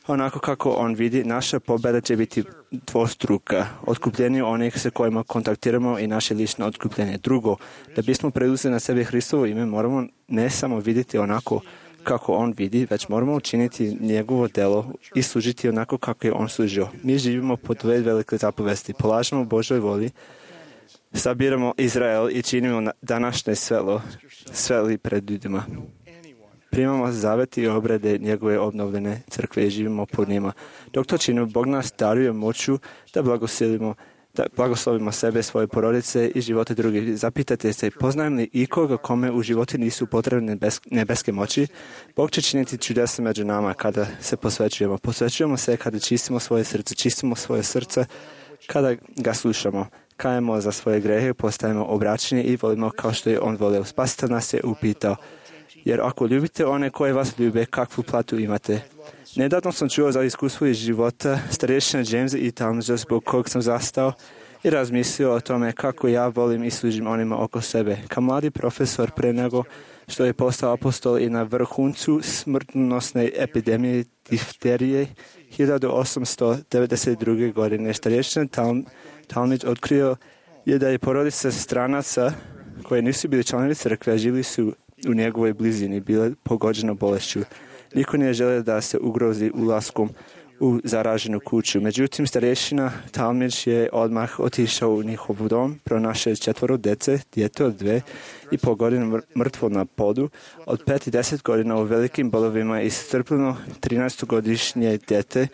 onako kako on vidi, naša pobjeda će biti dvostruka. Otkupljenje onih sa kojima kontaktiramo i naše lično otkupljenje. Drugo, da bismo preuzeli na sebe Hristovo ime, moramo ne samo vidjeti onako kako on vidi, već moramo učiniti njegovo delo i služiti onako kako je on služio. Mi živimo po dve velike zapovesti. Polažemo Božoj voli, sabiramo Izrael i činimo današnje svelo, sveli pred ljudima. Primamo zavet i obrede njegove obnovljene crkve i živimo pod njima. Dok to činimo, Bog nas daruje moću da blagosilimo, da blagoslovimo sebe, svoje porodice i živote drugih. Zapitajte se, poznajem li ikoga kome u životu nisu potrebne nebeske moći? Bog će činiti čudesa među nama kada se posvećujemo. Posvećujemo se kada čistimo svoje srce, čistimo svoje srce kada ga slušamo. Kajemo za svoje grehe, postajemo obraćeni i volimo kao što je on volio. Spasitelj nas je upitao, jer ako ljubite one koje vas ljube, kakvu platu imate? Nedavno sam čuo za iskustvo iz života starješina Jamesa i Talmadgea zbog kog sam zastao i razmislio o tome kako ja volim i služim onima oko sebe. Kao mladi profesor pre nego što je postao apostol i na vrhuncu smrtonosne epidemije difterije hiljadu osamsto devedeset druge. godine starješina Talmadge otkrio je da je porodica stranaca koje nisu bili članovi crkve, žili su u njegovoj blizini, bile pogođeno bolešću. Niko nije želeo da se ugrozi ulaskom u zaraženu kuću. Međutim, starješina Talmadge je odmah otišao u njihov dom, pronašao četvoro dece, dijete od dve i pol godina mrtvo na podu, od pet i deset godina u velikim bolovima i strpljeno trinaestogodišnje dijete.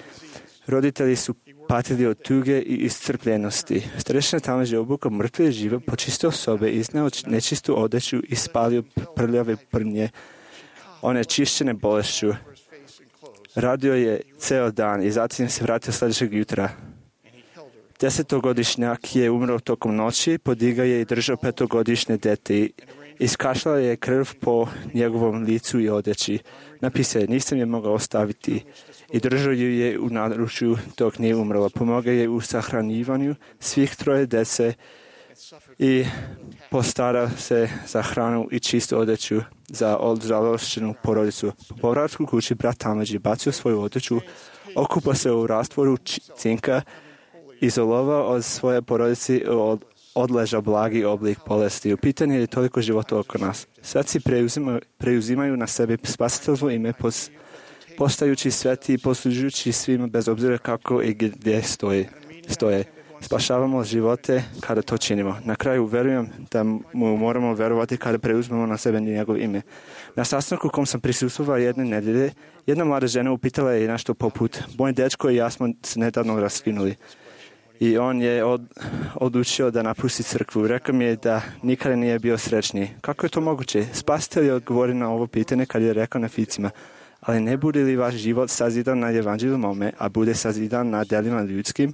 Roditelji su patili od tuge i iscrpljenosti. Starješina Talmadge je obukao mrtve žive, počistio sobe, izneo nečistu odeću i spalio prljave prnje, one čišćene bolešću. Radio je ceo dan i zatim se vratio sljedećeg jutra. Desetogodišnjak je umro tokom noći, podigao je i držao petogodišnje dete i iskašljala je krv po njegovom licu i odeći. Napisao je, nisam je mogao ostaviti i držao ju je u naručju dok nije umrla. Pomogao je u sahranjivanju svih troje dece i postara se za hranu i čistu odeću za odzalošćenu porodicu. Po povratku kući brat Talmadge je bacio svoju odeću, okupao se u rastvoru cinka, izolovao od svoje porodice od odleža blagi oblik bolesti. U pitanju je toliko života oko nas. Sveci preuzimaju, preuzimaju na sebe spasiteljstvo ime pos, postajući sveti i poslužujući svima bez obzira kako i gdje stoje. stoje. Spašavamo živote kada to činimo. Na kraju verujem da mu moramo verovati kada preuzmemo na sebe njegov ime. Na sastanku u kom sam prisustvovao jedne nedelje, jedna mlada žena upitala je nešto poput, moj dečko i ja smo se nedavno raskinuli. I on je od, odlučio da napusti crkvu. Rekao mi je da nikada nije bio srećniji. Kako je to moguće? Spasitelj je odgovorio na ovo pitanje kad je rekao na ficima, ali ne bude li vaš život sazidan na evanđelju mome, a bude sazidan na delima ljudskim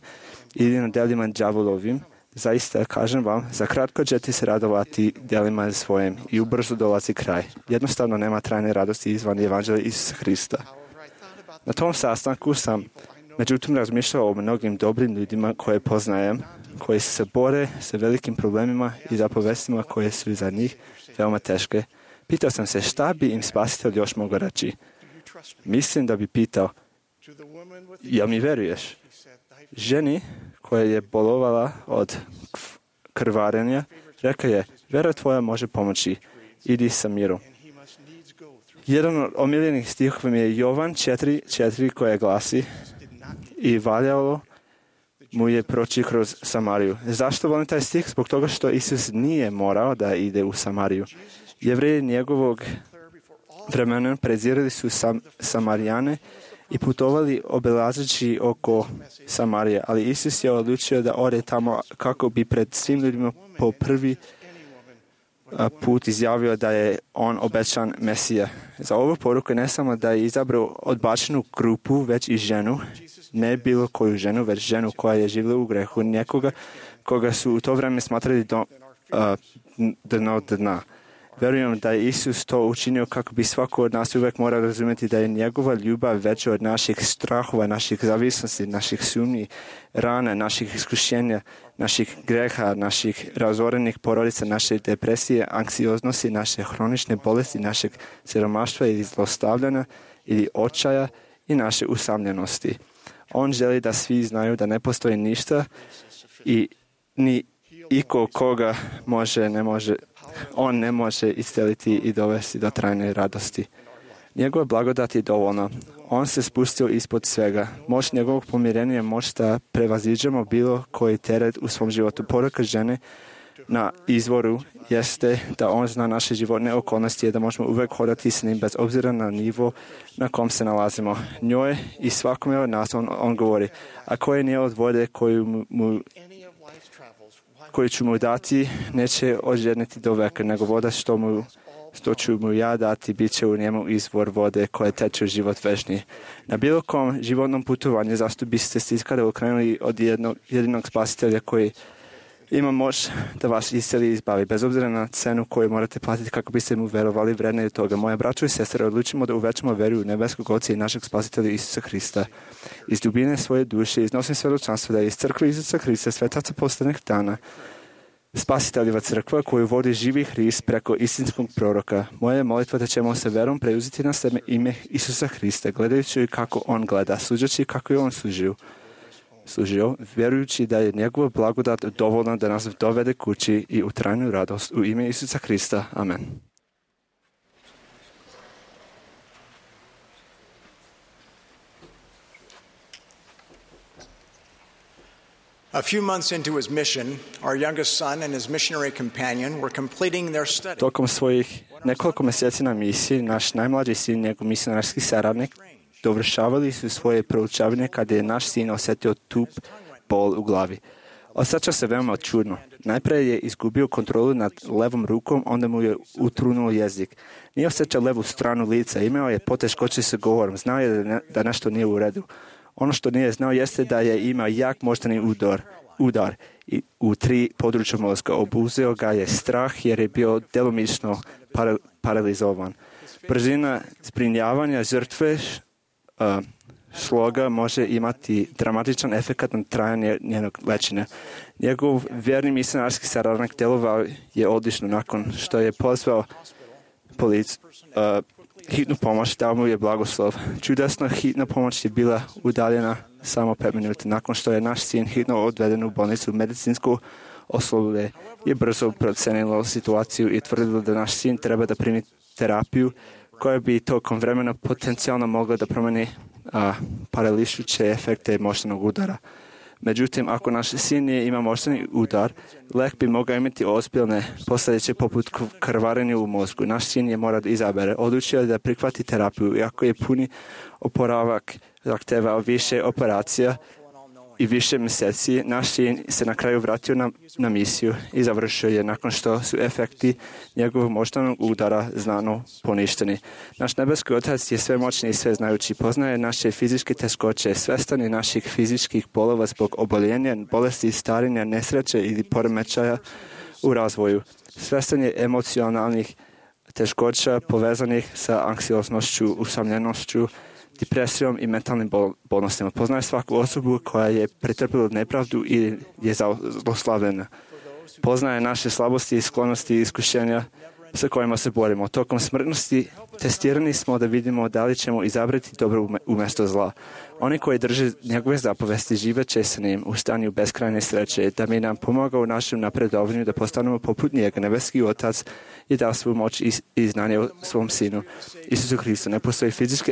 ili na delima đavolovim, zaista kažem vam, za kratko ćete se radovati delima svojim i ubrzo dolazi kraj. Jednostavno nema trajne radosti izvan evanđelja Isusa Hrista. Na tom sastanku sam međutim razmišljao o mnogim dobrim ljudima koje poznajem, koji se bore sa velikim problemima i zapovestima koje su za njih veoma teške. Pitao sam se šta bi im spasitelj još mogao reći. Mislim da bi pitao, jel mi veruješ? Ženi koja je bolovala od krvarenja, rekao je, vera tvoja može pomoći, idi sa mirom. Jedan od omiljenih stihova mi je Jovan četiri četiri koja glasi, i valjalo mu je proći kroz Samariju. Zašto volim taj stih? Zbog toga što Isus nije morao da ide u Samariju. Jevreji njegovog vremena prezirali su sam, Samarijane i putovali obilazeći oko Samarije, ali Isus je odlučio da ode tamo kako bi pred svim ljudima po prvi put izjavio da je on obećan Mesija. Za ovu poruku ne samo da je izabrao odbačenu grupu, već i ženu, ne bilo koju ženu, već ženu koja je živjela u grehu, nekoga koga su u to vreme smatrali do, uh, dno dna. Verujem da je Isus to učinio kako bi svako od nas uvek mora razumjeti da je njegova ljubav veća od naših strahova, naših zavisnosti, naših sumnji, rana, naših iskušenja, naših greha, naših razorenih porodica, naše depresije, anksioznosti, naše hronične bolesti, našeg siromaštva ili zlostavljanja ili očaja i naše usamljenosti. On želi da svi znaju da ne postoji ništa i ni iko koga može, ne može, on ne može isceliti i dovesti do trajne radosti. Njegova blagodat je dovoljna. On se spustio ispod svega. Moć njegovog pomirenja je moć da prevaziđemo bilo koji teret u svom životu. Poruka žene na izvoru jeste da on zna naše životne okolnosti i da možemo uvek hodati s njim bez obzira na nivo na kom se nalazimo. Njoj i svakome od nas on, on govori, a koje nije od vode koju mu, mu koju ću mu dati, neće ožedniti do veka, nego voda što, mu, što ću mu ja dati, bit će u njemu izvor vode koje teče u život večni. Na bilo kom životnom putovanju zašto biste se ikada okrenuli od jednog, jedinog spasitelja koji ima moć da vas isceli i izbavi, bez obzira na cenu koju morate platiti kako biste mu verovali vredne toga. Moje braćo i sestre, odlučimo da uvećamo veru u nebeskog Oca i našeg spasitelja Isusa Hrista. Iz dubine svoje duše iznosim svedočanstvo da je iz crkve Isusa Hrista, svetaca poslednjih dana, spasiteljeva crkva koju vodi živi Hrist preko istinskog proroka. Moja je molitva da ćemo se verom preuzeti na sebe ime Isusa Hrista, gledajući kako on gleda, suđajući kako je on služio. služio, vjerujući da je njegova blagodat dovoljna da nas dovede kući i u trajnu radost u ime Isusa Hrista. Amen. A few months into his mission, our youngest son and his missionary companion were completing their study. Tokom svojih nekoliko mjeseci na misiji, naš najmlađi sin, njegov misionarski saradnik, dovršavali su svoje proučavanje kada je naš sin osjetio tup bol u glavi. Osjeća se veoma čudno. Najprije je izgubio kontrolu nad levom rukom, onda mu je utrunuo jezik. Nije osjećao levu stranu lica, imao je poteškoće sa govorom, znao je da, ne, da nešto nije u redu. Ono što nije znao jeste da je imao jak moždani udar, udar i u tri područja mozga. Obuzeo ga je strah jer je bio djelomično para, paralizovan. Brzina zbrinjavanja žrtve uh, sloga može imati dramatičan efekt na trajanje njenog lečenja. Njegov vjerni misionarski saradnik djelovao je odlično nakon što je pozvao polic, uh, hitnu pomoć, dao mu je blagoslov. Čudesna hitna pomoć je bila udaljena samo pet minuta. Nakon što je naš sin hitno odveden u bolnicu, medicinsko osoblje je brzo procenilo situaciju i tvrdilo da naš sin treba da primi terapiju koja bi tokom vremena potencijalno mogla da promeni a, parališuće efekte moždanog udara. Međutim, ako naš sin nije ima moždani udar, lek bi mogao imati ozbiljne posljedice poput krvarenja u mozgu. Naš sin je mora da izabere. Odlučio da prihvati terapiju, iako je puni oporavak zahtevao više operacija i više mjeseci, naš sin se na kraju vratio na, na misiju i završio je nakon što su efekti njegovog moždanog udara znano poništeni. Naš nebeski Otac je svemoćni i sveznajući, poznaje naše fizičke teškoće, svestan je naših fizičkih bolova zbog oboljenja, bolesti, starenja, nesreće ili poremećaja u razvoju. Svestan je emocionalnih teškoća povezanih sa anksioznošću, usamljenošću, depresijom i mentalnim bol- bolnostima. Poznaje svaku osobu koja je pretrpila nepravdu i je zloslavljena. Poznaje naše slabosti, sklonosti i iskušenja sa kojima se borimo. Tokom smrtnosti testirani smo da vidimo da li ćemo izabrati dobro umjesto zla. Oni koji drže njegove zapovesti žive će sa njim u stanju beskrajne sreće, da bi nam pomogao u našem napredovanju da postanemo poput njega. Nebeski Otac je dao svu moć i, i znanje o svom sinu, Isusu Hristu. Ne postoji fizička,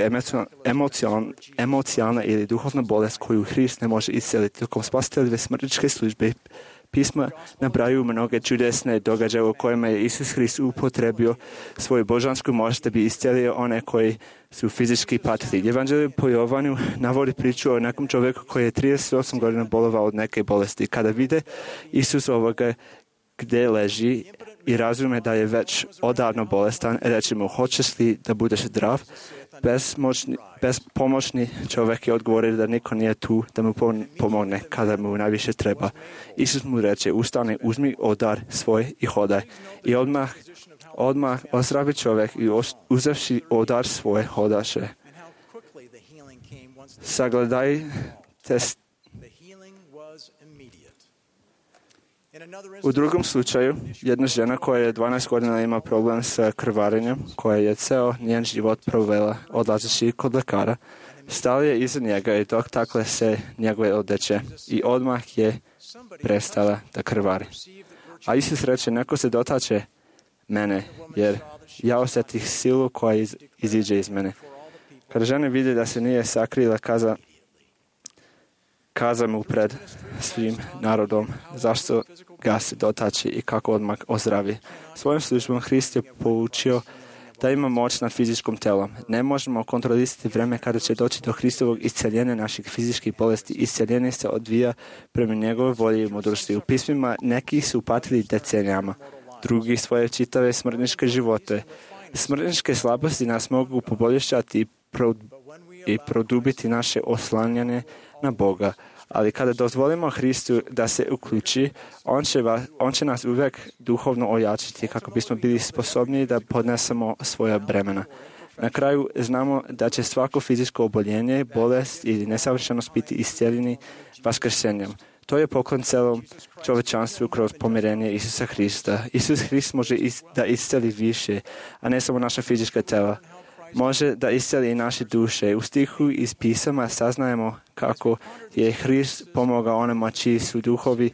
emocijalna, emocijalna ili duhovna bolest koju Hrist ne može isceliti. Tokom spasiteljeve smrtničke službe Pisma nabrajaju mnoge čudesne događaje u kojima je Isus Hrist upotrebio svoju božansku moć da bi iscelio one koji su fizički patili. Evanđelje po Jovanu navodi priču o nekom čovjeku koji je trideset osam godina bolovao od neke bolesti. Kada vide Isus ovoga gdje leži i razume da je već odavno bolestan, reče mu, hoćeš li da budeš zdrav? Bezmoćni, bezpomoćni čovjek je odgovorio da niko nije tu da mu pomogne kada mu najviše treba. Isus mu reče, ustani, uzmi odar svoj i hodaj. I odmah, odmah ozdravi čovjek i uzevši odar svoj hodaše. Sagledajte. U drugom slučaju, jedna žena koja je dvanaest godina ima problem sa krvarenjem, koja je ceo njen život provela odlazeći kod lekara, stala je iza njega i dok takle se njegove odeće i odmah je prestala da krvari. A Isus reče, neko se dotače mene, jer ja osjetih silu koja iz, iziđe iz mene. Kada žena vidi da se nije sakrila, kaza, kaza mu pred svim narodom zašto ga se dotači i kako odmah ozdravi. Svojom službom Hrist je poučio da ima moć nad fizičkom telom. Ne možemo kontrolisati vreme kada će doći do Hristovog isceljenja naših fizičkih bolesti. Isceljenje se odvija prema njegove volji i mudrosti. U pismima neki su patili decenijama, drugi svoje čitave smrtničke živote. Smrtničke slabosti nas mogu poboljšati i, pro, i produbiti naše oslanjanje na Boga. Ali kada dozvolimo Hristu da se uključi, on će, va, on će nas uvijek duhovno ojačiti kako bismo bili sposobni da podnesemo svoja bremena. Na kraju znamo da će svako fizičko oboljenje, bolest ili nesavršenost biti iscijeljeni vaskrsenjem. To je poklon celom čovečanstvu kroz pomirenje Isusa Hrista. Isus Hrist može is, da iscijeli više, a ne samo naša fizička tela. Može da iscijeli i naše duše. U stihu iz pisama saznajemo kako je Hrist pomogao onima čiji su duhovi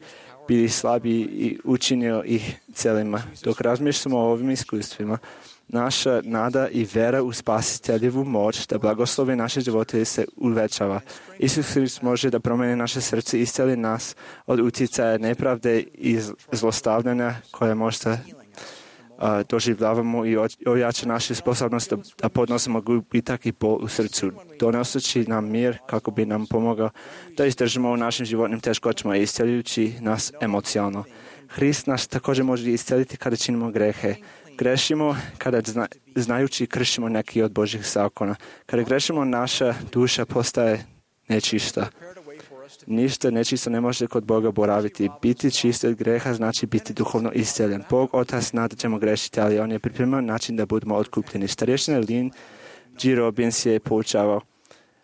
bili slabi i učinio ih celima. Dok razmišljamo o ovim iskustvima, naša nada i vera u spasiteljevu moć da blagoslovi naše živote se uvećava. Isus Hrist može da promeni naše srce i iscijeli nas od utjecaja nepravde i zlostavljanja koje možda a, doživljavamo i ojača našu sposobnost da, da podnosimo gubitak i bol u srcu. Donoseći nam mir kako bi nam pomogao da izdržimo u našim životnim teškoćama i isceljujući nas emocionalno. Hrist nas također može isceliti kada činimo grehe. Grešimo kada zna, znajući kršimo neki od Božjih zakona. Kada grešimo, naša duša postaje nečista. Ništa nečisto ne može kod Boga boraviti. Biti čist od greha znači biti duhovno isceljen. Bog Otac zna da ćemo grešiti, ali On je pripremio način da budemo otkupljeni. Starješina Lynn G. Robbins je poučavao.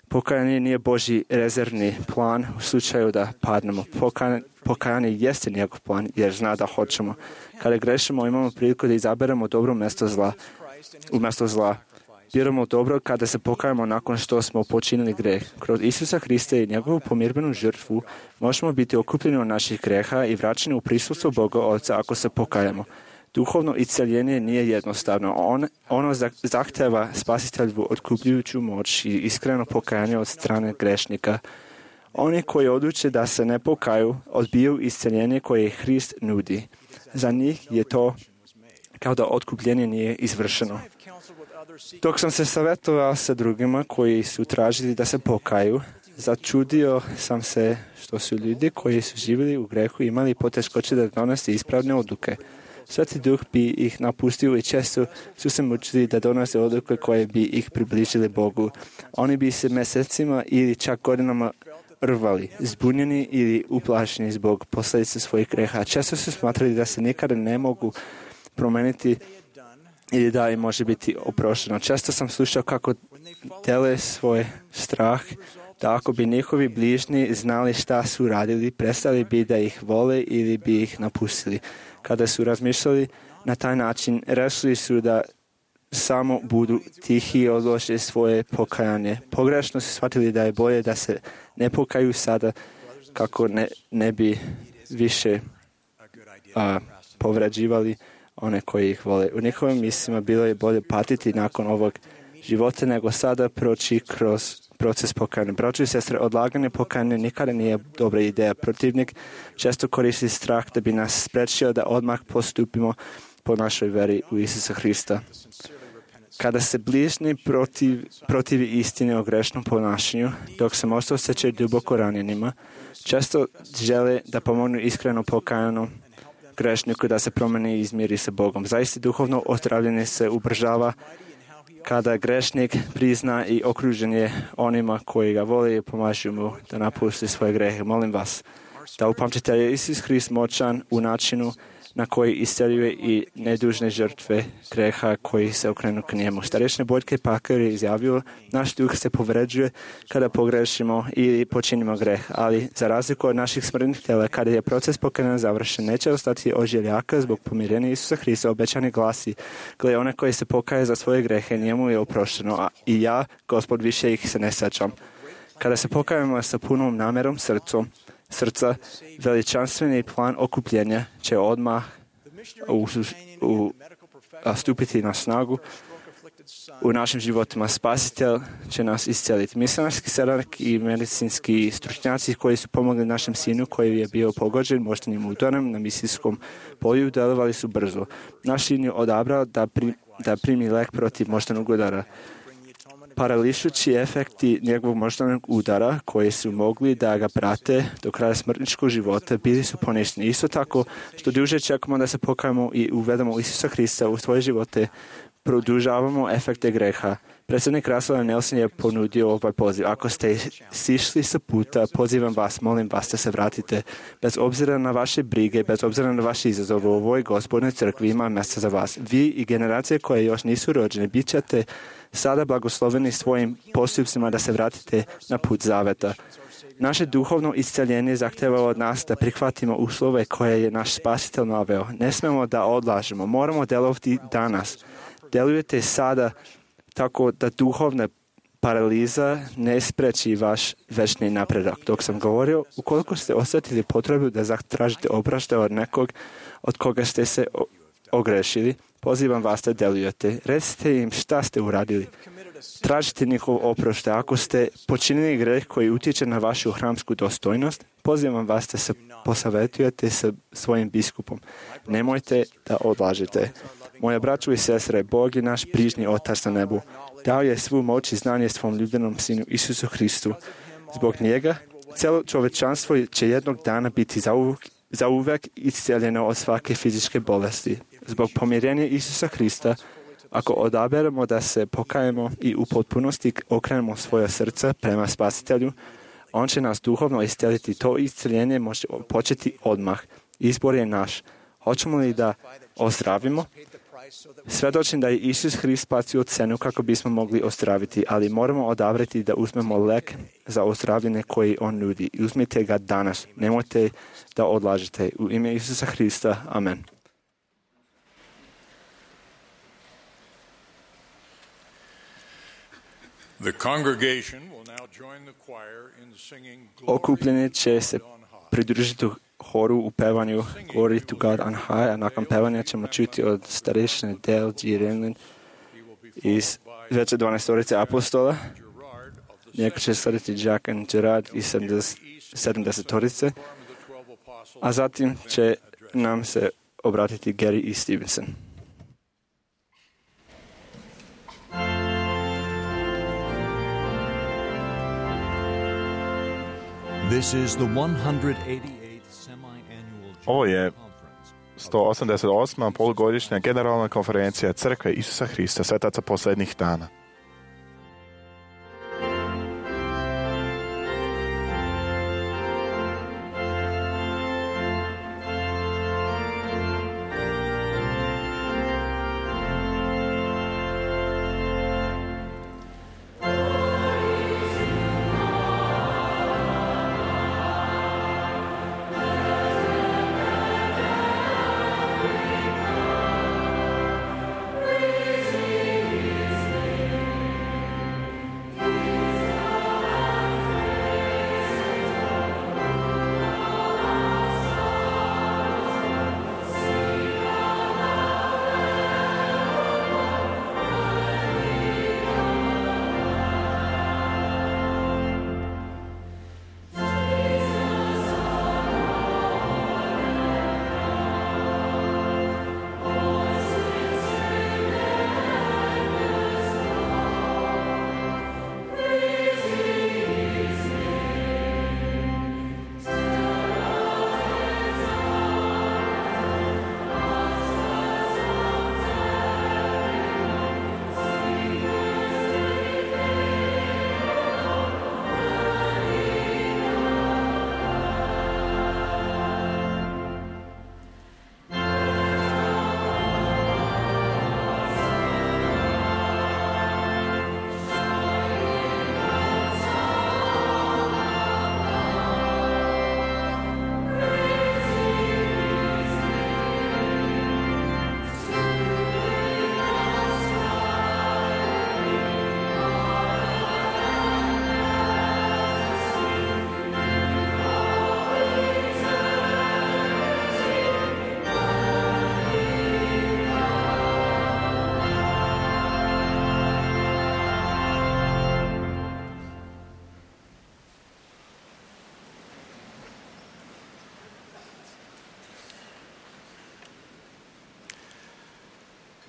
Pokajanje nije Božji rezervni plan u slučaju da padnemo. Pokajanje, pokajanje jeste njegov plan jer zna da hoćemo. Kada grešimo, imamo priliku da izaberemo dobro mjesto zla. Umjesto zla. Biramo dobro kada se pokajamo nakon što smo počinili greh. Kroz Isusa Hrista i njegovu pomirbenu žrtvu možemo biti okupljeni od naših greha i vraćeni u prisustvo Boga Oca ako se pokajamo. Duhovno isceljenje nije jednostavno. On, ono zahteva spasitelju otkupljujuću moć i iskreno pokajanje od strane grešnika. Oni koji odluče da se ne pokaju, odbiju isceljenje koje Hrist nudi. Za njih je to kao da otkupljenje nije izvršeno. Dok sam se savjetovao sa drugima koji su tražili da se pokaju, začudio sam se što su ljudi koji su živjeli u grehu imali poteškoće da donose ispravne odluke. Sveti Duh bi ih napustio i često su se mučili da donose odluke koje bi ih približile Bogu. Oni bi se mjesecima ili čak godinama rvali, zbunjeni ili uplašeni zbog posljedice svojih greha. Često su smatrali da se nikada ne mogu promijeniti ili da im može biti oprošteno. Često sam slušao kako dele svoj strah, da ako bi njihovi bližnji znali šta su radili, prestali bi da ih vole ili bi ih napustili. Kada su razmišljali na taj način, rešili su da samo budu tihi i odlože svoje pokajanje. Pogrešno su shvatili da je bolje da se ne pokaju sada kako ne, ne bi više a, povređivali one koji ih vole. U njihovim mislima bilo je bolje patiti nakon ovog života nego sada proći kroz proces pokajanja. Braćo i sestre, odlaganje pokajanja nikada nije dobra ideja. Protivnik često koristi strah da bi nas sprečio da odmah postupimo po našoj veri u Isusa Hrista. Kada se bližnji protiv, protivi istine o grešnom ponašanju, dok se možda osjećaju duboko ranjenima, često žele da pomognu iskreno pokajanom grešniku da se promeni i izmiri sa Bogom. Zaista duhovno ozdravljenje se ubržava kada grešnik prizna i okružen je onima koji ga vole i pomažu mu da napusti svoje grehe. Molim vas da upamtite da je Isus Hrist moćan u načinu na koji isceljuje i nedužne žrtve greha koji se okrenu k njemu. Starešni Boljke Pakar je izjavio, naš duh se povređuje kada pogrešimo ili počinimo greh, ali za razliku od naših smrtnih tela, kada je proces pokajanja završen, neće ostati ožiljaka zbog pomirenja Isusa Hrista. Obećani glasi, gle, one koji se pokaje za svoje grehe, njemu je oprošteno, a i ja, Gospod, više ih se ne sećam. Kada se pokajemo sa punom namerom srcom, srca, veličanstveni plan okupljenja će odmah u, u, a, stupiti na snagu u našim životima. Spasitelj će nas isceliti. Misionarski saradnik i medicinski stručnjaci koji su pomogli našem sinu koji je bio pogođen moždanim udarom na misijskom polju delovali su brzo. Naš sin je odabrao da, pri, da primi lek protiv moždanog udara. Parališući efekti njegovog moždanog udara koji su mogli da ga prate do kraja smrtničkog života bili su poništeni. Isto tako što duže čekamo da se pokajemo i uvedemo Isusa Hrista u svoje živote, produžavamo efekte greha. Predsjednik Russell Nelson je ponudio ovaj poziv. Ako ste sišli sa puta, pozivam vas, molim vas da se vratite. Bez obzira na vaše brige, bez obzira na vaše izazove, u ovoj Gospodnoj crkvi ima mjesta za vas. Vi i generacije koje još nisu rođene, bit ćete sada blagosloveni svojim postupcima da se vratite na put zaveta. Naše duhovno isceljenje zahtjeva od nas da prihvatimo uslove koje je naš Spasitelj naveo. Ne smemo da odlažemo, moramo delovati danas. Delujete sada tako da duhovna paraliza ne spreči vaš večni napredak. Dok sam govorio, ukoliko ste osjetili potrebu da zatražite opraštaj od nekog od koga ste se ogrešili, pozivam vas da delujete. Recite im šta ste uradili. Tražite njihov oproštaj. Ako ste počinili greh koji utječe na vašu hramsku dostojnost, pozivam vas da se posavetujete sa svojim biskupom. Nemojte da odlažete. Moja braćo i sestre, Bog je naš brižni Otac na nebu. Dao je svu moć i znanje svom ljubljenom Sinu Isusu Hristu. Zbog njega, cijelo čovečanstvo će jednog dana biti zauvek, zauvek isceljeno od svake fizičke bolesti. Zbog pomirenja Isusa Hrista, ako odaberemo da se pokajemo i u potpunosti okrenemo svoja srca prema Spasitelju, on će nas duhovno isceliti. To isceljenje može početi odmah. Izbor je naš. Hoćemo li da ozdravimo? Svjedočim da je Isus Hrist platio cenu kako bismo mogli ozdraviti, ali moramo odabrati da uzmemo lek za ozdravljenje koji on nudi. Uzmite ga danas. Nemojte da odlažete. U ime Isusa Hrista. Amen. Okupljenje će se pridružiti horu u pevanju Glory to God on High, a nakon pevanja ćemo čuti od starešine Dale G. Renlin iz veće dvanaestorice apostola. Njega će slediti Jack and Gerard iz sedamdesetorice, a zatim će nam se obratiti Gary E. Stevenson. This is the one hundred eighty-eighth semi-annual Ovo je sto osamdeset osma polugodišnja generalna konferencija Crkve Isusa Hrista svetaca posljednjih dana. Praise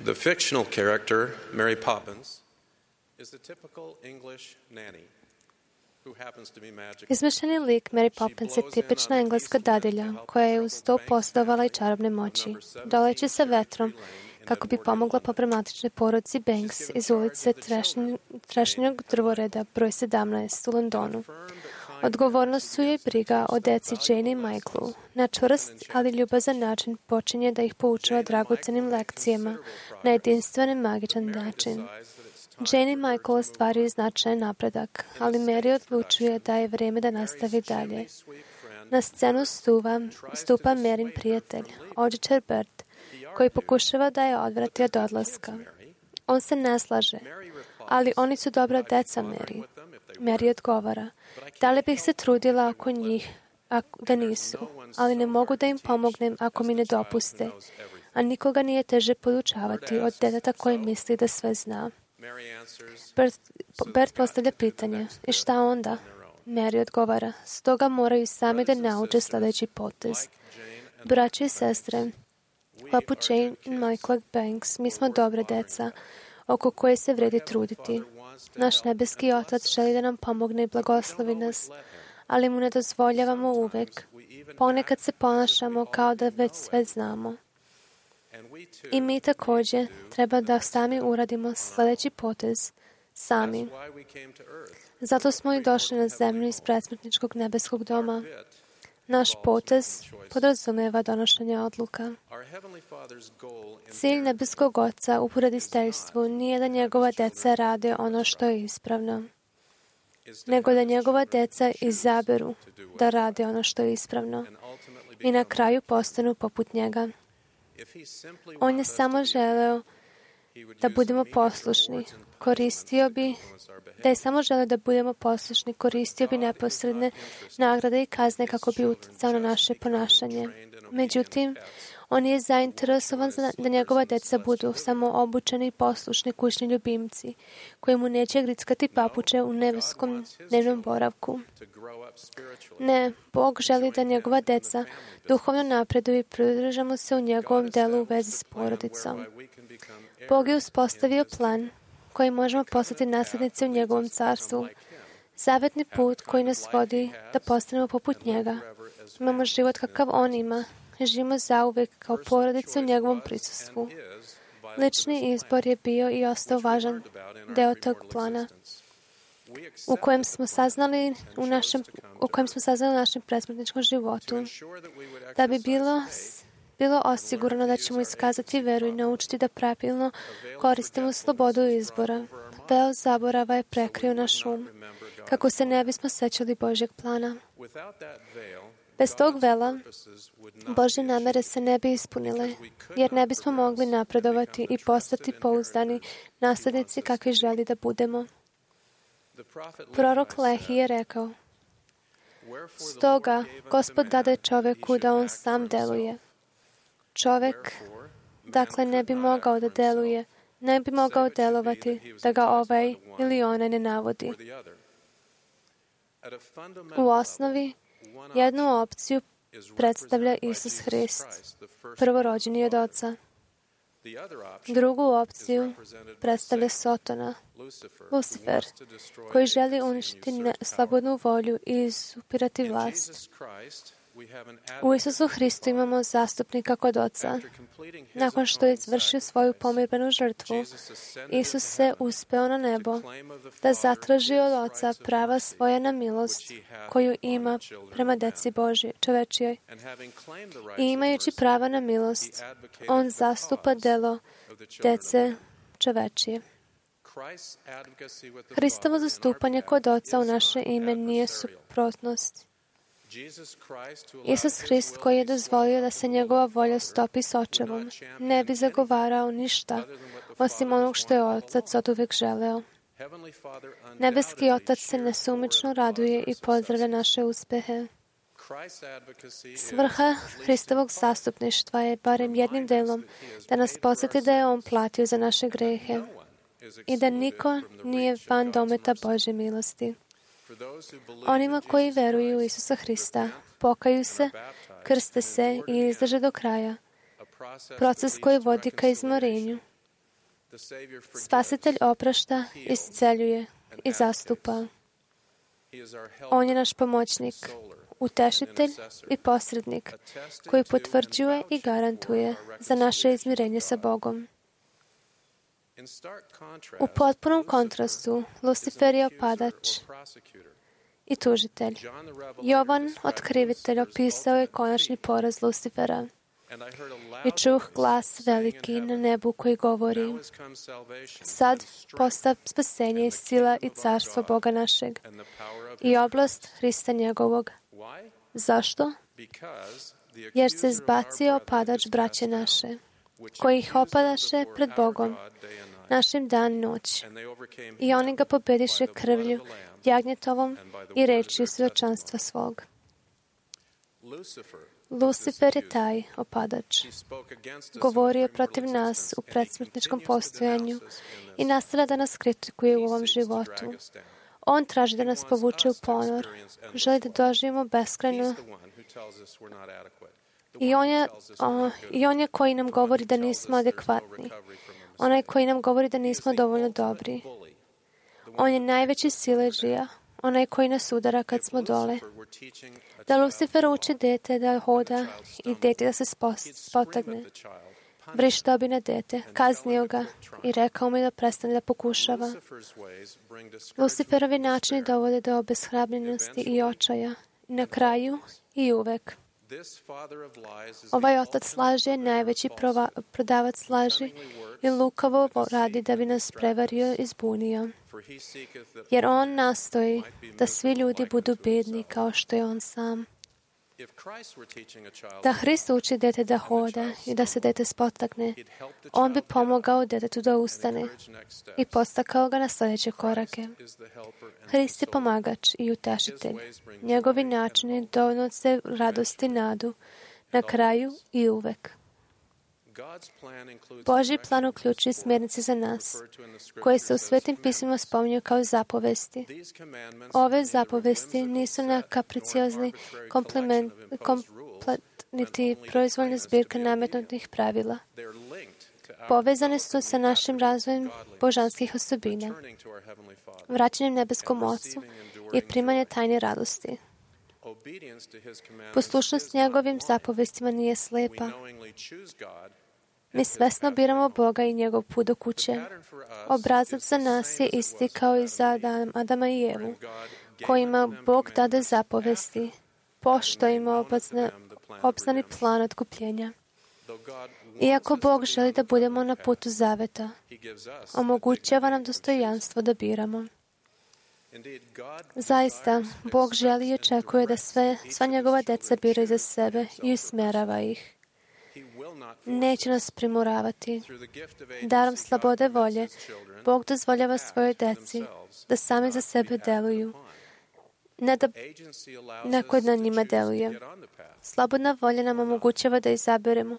The fictional character, Mary Poppins, is the typical English nanny who happens to be magical. Izmišljeni lik Mary Poppins je tipična engleska dadilja koja je uz to posjedovala i čarobne moći, doleći sa vetrom kako bi pomogla problematičnoj porodici Banks iz ulice Trešnjeg drvoreda broj sedamnaest u Londonu. Odgovornost su joj briga o deci Jane i Michaelu. Na čvrst, ali ljubazan način počinje da ih poučava dragocenim lekcijama na jedinstven i magičan način. Jane i Michael ostvaruju značajan napredak, ali Mary odlučuje da je vrijeme da nastavi dalje. Na scenu stupa, stupa Maryn prijatelj, odjećar Bert, koji pokušava da je odvrati od odlaska. On se ne slaže, ali oni su dobra deca, Mary. Mary odgovara, da li bih se trudila oko njih ako, da nisu, ali ne mogu da im pomognem ako mi ne dopuste, a nikoga nije teže podučavati od deteta koji misli da sve zna. Bert, Bert postavlja pitanje, i šta onda? Mary odgovara, stoga moraju sami da nauče sljedeći potez. Braće i sestre, poput Jane i Michaela Banks, mi smo dobre deca, oko koje se vredi truditi. Naš nebeski Otac želi da nam pomogne i blagoslovi nas, ali mu ne dozvoljavamo uvek. Ponekad se ponašamo kao da već sve znamo. I mi također treba da sami uradimo sljedeći potez, sami. Zato smo i došli na zemlju iz predsmrtničkog nebeskog doma. Naš potez podrazumeva donošenje odluka. Cilj nebeskog Oca u poroditeljstvu nije da njegova deca rade ono što je ispravno, nego da njegova deca izaberu da rade ono što je ispravno i na kraju postanu poput njega. On je samo želeo da budemo poslušni. Koristio bi, da je samo želeo da budemo poslušni, koristio bi neposredne nagrade i kazne kako bi utjecao na naše ponašanje. Međutim, on je zainteresovan da njegova deca budu samo obučeni i poslušni kućni ljubimci, koji mu neće grickati papuče u nebeskom dnevnom boravku. Ne, Bog želi da njegova deca duhovno napreduju i pridržamo se u njegovom delu u vezi s porodicom. Bog je uspostavio plan koji možemo postati nasljednici u njegovom carstvu. Zavetni put koji nas vodi da postanemo poput njega. Imamo život kakav on ima. Živimo zauvek kao porodice u njegovom prisustvu. Lični izbor je bio i ostao važan deo tog plana u kojem smo saznali u našem, u kojem smo saznali u našem predsmrtničkom životu. Da bi bilo bilo osigurano da ćemo iskazati veru i naučiti da pravilno koristimo slobodu izbora. Veo zaborava je prekrio naš um, kako se ne bismo sećali Božjeg plana. Bez tog vela, Božje namere se ne bi ispunile, jer ne bismo mogli napredovati i postati pouzdani naslednici kakvi želi da budemo. Prorok Lehi je rekao, stoga Gospod dade čoveku da on sam deluje. Čovek, dakle, ne bi mogao da deluje, ne bi mogao delovati da ga ovaj ili onaj ne navodi. U osnovi, jednu opciju predstavlja Isus Hrist, prvorođeni od Oca. Drugu opciju predstavlja Sotona, Lucifer, koji želi uništiti slobodnu volju i izupirati vlast. U Isusu Hristu imamo zastupnika kod Oca. Nakon što je izvršio svoju pomirbenu žrtvu, Isus se uspeo na nebo da zatraži od Oca prava svoja na milost koju ima prema deci Božje, čovečijoj. I imajući prava na milost, on zastupa delo dece čovečije. Hristovo zastupanje kod Oca u naše ime nije suprotnost. Isus Hrist, koji je dozvolio da se njegova volja stopi s očevom, ne bi zagovarao ništa osim onog što je Otac oduvek želeo. Nebeski Otac se nesumično raduje i pozdravlja naše uspehe. Svrha Hristovog zastupništva je barem jednim delom da nas podsjeti da je On platio za naše grehe i da niko nije van dometa Božje milosti. Onima koji veruju u Isusa Hrista, pokaju se, krste se i izdrže do kraja. Proces koji vodi ka izmorenju Spasitelj oprašta, isceljuje i zastupa. On je naš pomoćnik, utešitelj i posrednik koji potvrđuje i garantuje za naše izmirenje sa Bogom. U potpunom kontrastu, Lucifer je opadač i tužitelj. Jovan, otkrivitelj, opisao je konačni poraz Lucifera. I čuh glas veliki na nebu koji govori: sad postav spasenje i sila i carstvo Boga našeg i oblast Hrista njegovog. Zašto? Jer se zbacio opadač braće naše, koji ih opadaše pred Bogom našim dan i noć. I oni ga pobediše krvlju jagnjetovom i rečju svjedočanstva svog. Lucifer je taj opadač. Govorio protiv nas u predsmrtničkom postojanju i nastavlja da nas kritikuje u ovom životu. On traži da nas povuče u ponor, želi da doživimo beskrajno. I on je, o, i on je koji nam govori da nismo adekvatni. Onaj koji nam govori da nismo dovoljno dobri. On je najveći siledžija, onaj koji nas udara kad smo dole. Da Lucifer uči dete da hoda i dete da se spotagne. Vrištao bi na dete, kaznio ga i rekao mi da prestane da pokušava. Luciferovi načini dovode do obeshrabljenosti i očaja. I na kraju i uvek. Ovaj otac laži je najveći prova, prodavac laži i lukavo radi da bi nas prevario i zbunio. Jer on nastoji da svi ljudi budu bedni kao što je on sam. Da Hrist uči dete da hoda i da se dete spotakne, on bi pomogao detetu da ustane i postakao ga na sljedeće korake. Hrist je pomagač i utešitelj. Njegovi načini donose radost i nadu na kraju i uvek. Božji plan uključuje smjernice za nas, koje se u Svetim pismima spominju kao zapovesti. Ove zapovesti nisu na kapriciozni kompliment, komplet, niti proizvoljne zbirke nametnutih pravila. Povezane su sa našim razvojem božanskih osobina, vraćanjem nebeskom Ocu i primanje tajne radosti. Poslušnost njegovim zapovestima nije slepa. Mi svesno biramo Boga i njegov put do kuće. Obrazac za nas je isti kao i za Adama i Evu, kojima Bog dade zapovesti, poštojimo obazna, obznani plan otkupljenja. Iako Bog želi da budemo na putu zaveta, omogućava nam dostojanstvo da biramo. Zaista, Bog želi i očekuje da sve, sva njegova deca biraju za sebe i usmerava ih. Neće nas primoravati. Darom slobode volje, Bog dozvoljava svojoj deci da sami za sebe deluju, ne da neko na njima deluje. Slobodna volja nam omogućava da izaberemo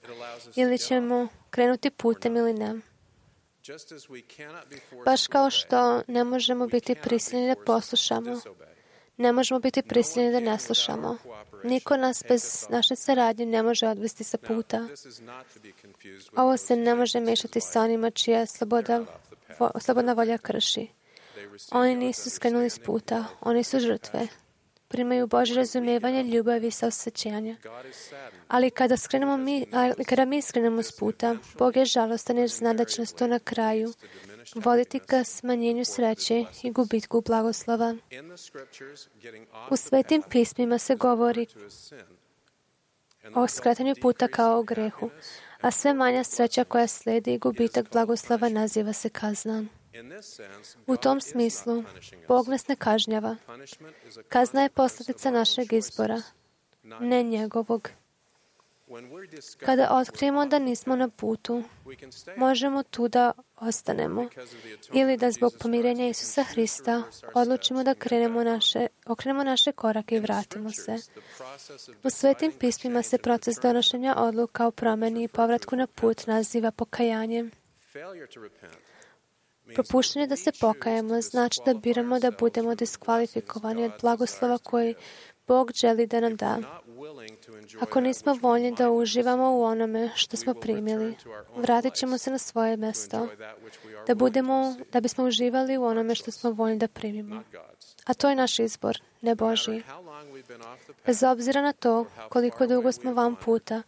ili ćemo krenuti putem ili ne. Baš kao što ne možemo biti prisiljeni da poslušamo, ne možemo biti prisiljeni da ne slušamo. Niko nas bez naše saradnje ne može odvesti sa puta. Ovo se ne može mešati sa onima čija sloboda, vo, slobodna volja krši. Oni nisu skrenuli s puta, oni su žrtve. Primaju Božje razumijevanje, ljubavi i saosećanja. Ali kada, skrenemo mi, ali kada mi skrenemo s puta, Bog je žalostan jer zna da će nas to na kraju voditi ka smanjenju sreće i gubitku blagoslova. U Svetim pismima se govori o skretanju puta kao o grehu, a sve manja sreća koja slijedi i gubitak blagoslova naziva se kazna. U tom smislu, Bog nas ne kažnjava. Kazna je posljedica našeg izbora, ne njegovog. Kada otkrijemo da nismo na putu, možemo tu da ostanemo ili da zbog pomirenja Isusa Hrista odlučimo da krenemo naše, okrenemo naše korake i vratimo se. U Svetim pismima se proces donošenja odluka o promjeni i povratku na put naziva pokajanjem. Propuštanje da se pokajemo znači da biramo da budemo diskvalifikovani od blagoslova koji Bog želi da nam da. Ako nismo voljni da uživamo u onome što smo primili, vratit ćemo se na svoje mesto, da, budemo, da bismo uživali u onome što smo voljni da primimo. A to je naš izbor, ne Božji. Bez obzira na to koliko dugo smo van puta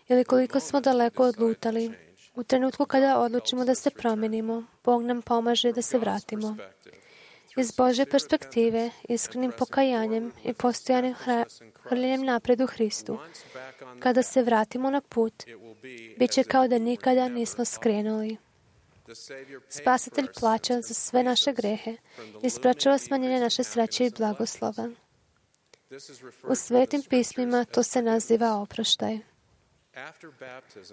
ili koliko smo daleko odlutali, u trenutku kada odlučimo da se promenimo, Bog nam pomaže da se vratimo. Iz Božje perspektive, iskrenim pokajanjem i postojanim hrljenjem napred u Hristu, kada se vratimo na put, bit će kao da nikada nismo skrenuli. Spasitelj plaća za sve naše grehe i sprečava smanjenje naše sreće i blagoslova. U svetim pismima to se naziva oproštaj.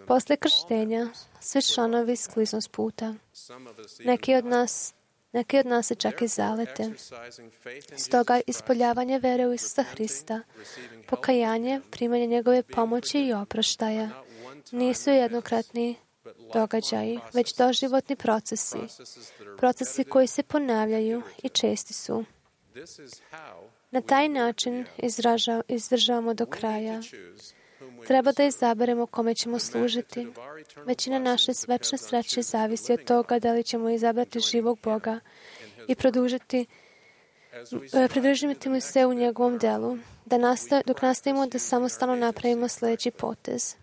Posle krštenja, svi članovi skliznu s puta. Neki od nas Neki od nas se čak i zalete. Stoga ispoljavanje vere u Isusa Hrista, pokajanje, primanje njegove pomoći i oproštaja nisu jednokratni događaji, već doživotni procesi. Procesi koji se ponavljaju i česti su. Na taj način izraža, izdržavamo do kraja. Treba da izaberemo kome ćemo služiti. Većina naše večne sreće zavisi od toga da li ćemo izabrati živog Boga i produžiti, pridržiti mu se u njegovom delu, da nastav, dok nastavimo da samostalno napravimo sljedeći potez.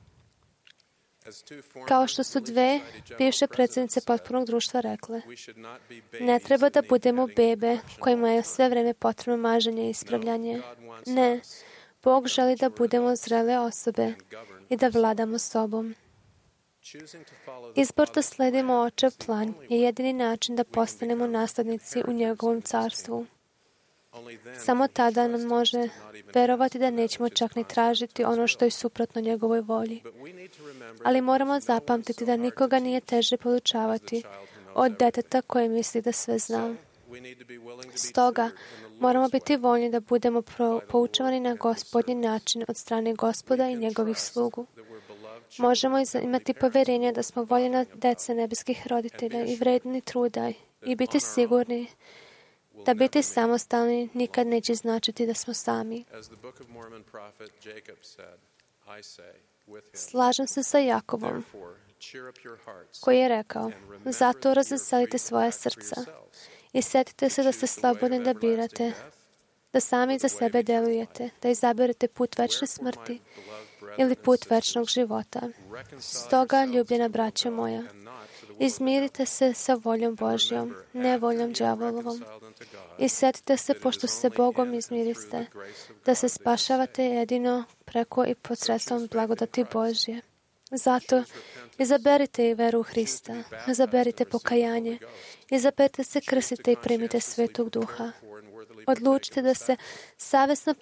Kao što su dve bivše predsjednice potpunog društva rekle, ne treba da budemo bebe kojima je sve vreme potrebno maženje i ispravljanje. Ne, Bog želi da budemo zrele osobe i da vladamo sobom. Izbor da sledimo očev plan je jedini način da postanemo naslednici u njegovom carstvu. Samo tada nam može verovati da nećemo čak ni tražiti ono što je suprotno njegovoj volji. Ali moramo zapamtiti da nikoga nije teže podučavati od deteta koje misli da sve zna. Stoga, moramo biti voljni da budemo poučavani na Gospodnji način od strane Gospoda i njegovih slugu. Možemo imati poverenje da smo voljena dece nebeskih roditelja i vredni truda i biti sigurni da biti samostalni nikad neće značiti da smo sami. Slažem se sa Jakovom, koji je rekao, zato razveselite svoje srca i sjetite se da ste slobodni da birate, da sami za sebe delujete, da izaberete put večne smrti ili put večnog života. Stoga, ljubljena braćo moja, izmirite se sa voljom Božjom, ne voljom đavolovom. I sjetite se, pošto se Bogom izmiriste, da se spašavate jedino preko i posredstvom blagodati Božje. Zato izaberite i veru u Hrista, izaberite pokajanje, izaberite se krstite i primite Svetog Duha. Odlučite da se savjesno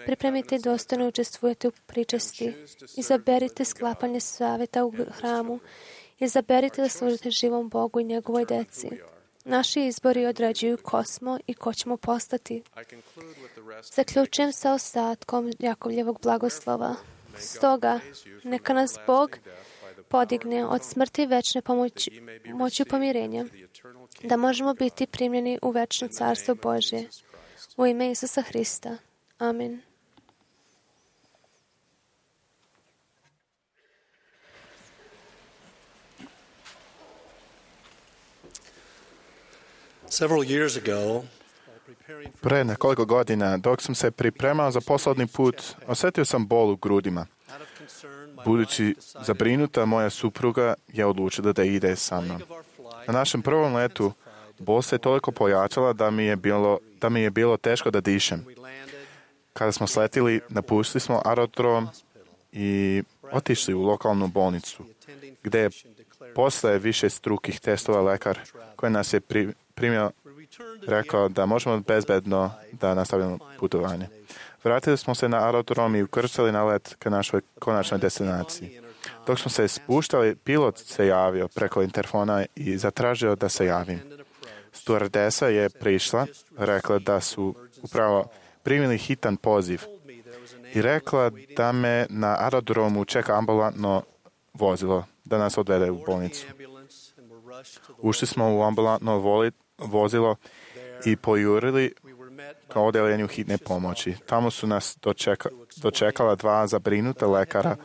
pripremite i dostojno učestvujete u pričesti. Izaberite sklapanje savjeta u hramu. Izaberite da služite živom Bogu i njegovoj deci. Naši izbori određuju ko smo i ko ćemo postati. Zaključujem sa ostatkom Jakovljevog blagoslova. Stoga, neka nas Bog podigne od smrti večne pomoći, moću pomirenja, da možemo biti primljeni u večno carstvo Božje. U ime Isusa Hrista. Amin. Pre nekoliko godina, dok sam se pripremao za poslovni put, osjetio sam bol u grudima. Budući zabrinuta, moja supruga je odlučila da ide sa mnom. Na našem prvom letu bol se toliko pojačala da mi je bilo, da mi je bilo teško da dišem. Kada smo sletili, napustili smo aerodrom i otišli u lokalnu bolnicu, gdje je posle više strukih testova lekar koji nas je pri, primio rekao da možemo bezbedno da nastavimo putovanje. Vratili smo se na aerodrom i ukrcali na let ka našoj konačnoj destinaciji. Dok smo se spuštali, pilot se javio preko interfona i zatražio da se javim. Stewardesa je prišla, rekla da su upravo primili hitan poziv i rekla da me na aerodromu čeka ambulantno vozilo da nas odvede u bolnicu. Ušli smo u ambulantno voli, vozilo i pojurili ka odeljenju hitne pomoći. Tamo su nas dočeka, dočekala dva zabrinuta lekara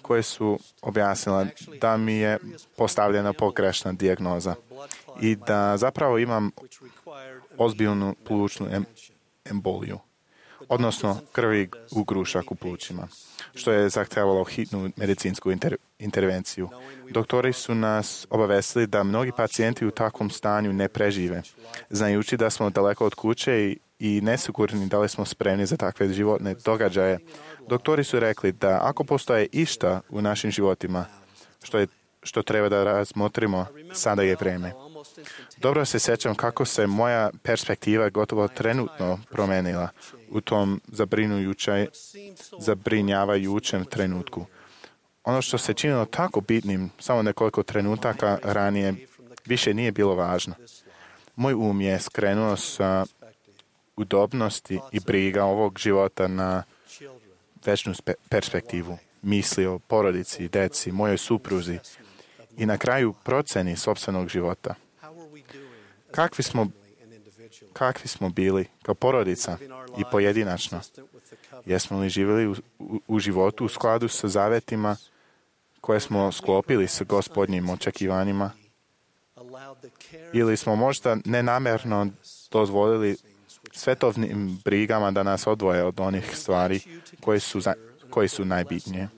koje su objasnila da mi je postavljena pogrešna dijagnoza i da zapravo imam ozbiljnu plućnu em, emboliju, odnosno krvi u grušak u plućima, što je zahtevalo hitnu medicinsku inter, intervenciju. Doktori su nas obavestili da mnogi pacijenti u takvom stanju ne prežive, znajući da smo daleko od kuće i, i nesigurni da li smo spremni za takve životne događaje. Doktori su rekli da ako postoje išta u našim životima što, je, što treba da razmotrimo, sada je vreme. Dobro se sjećam kako se moja perspektiva gotovo trenutno promenila u tom zabrinjavajućem trenutku. Ono što se činilo tako bitnim samo nekoliko trenutaka ranije više nije bilo važno. Moj um je skrenuo sa udobnosti i briga ovog života na večnu perspektivu, misli o porodici, deci, mojoj supruzi i na kraju proceni sopstvenog života. Kakvi smo, kakvi smo bili kao porodica i pojedinačno? Jesmo li živjeli u, u, u životu u skladu sa zavetima koje smo sklopili sa gospodnjim očekivanjima? Ili smo možda nenamerno dozvolili svetovnim brigama da nas odvoje od onih stvari koje su, za, koje su najbitnije?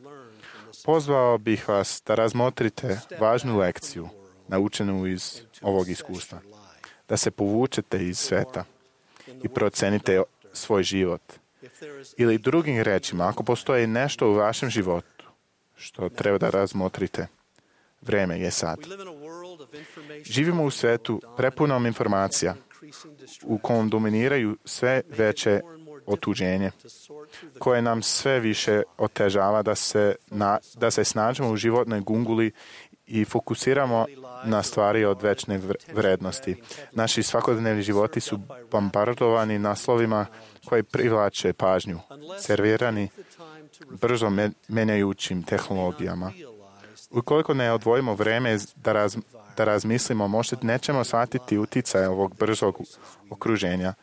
Pozvao bih vas da razmotrite važnu lekciju naučenu iz ovog iskustva. Da se povučete iz sveta i procenite svoj život. Ili drugim rečima, ako postoji nešto u vašem životu što treba da razmotrite, vreme je sad. Živimo u svetu prepunom informacija u kom dominiraju sve veće otuđenje, koje nam sve više otežava da se, na, da se snađemo u životnoj gunguli i fokusiramo na stvari od večne vrednosti. Naši svakodnevni životi su bombardovani naslovima koji privlače pažnju, servirani brzo menjajućim tehnologijama. Ukoliko ne odvojimo vreme da, raz, da razmislimo, možda nećemo shvatiti uticaj ovog brzog okruženja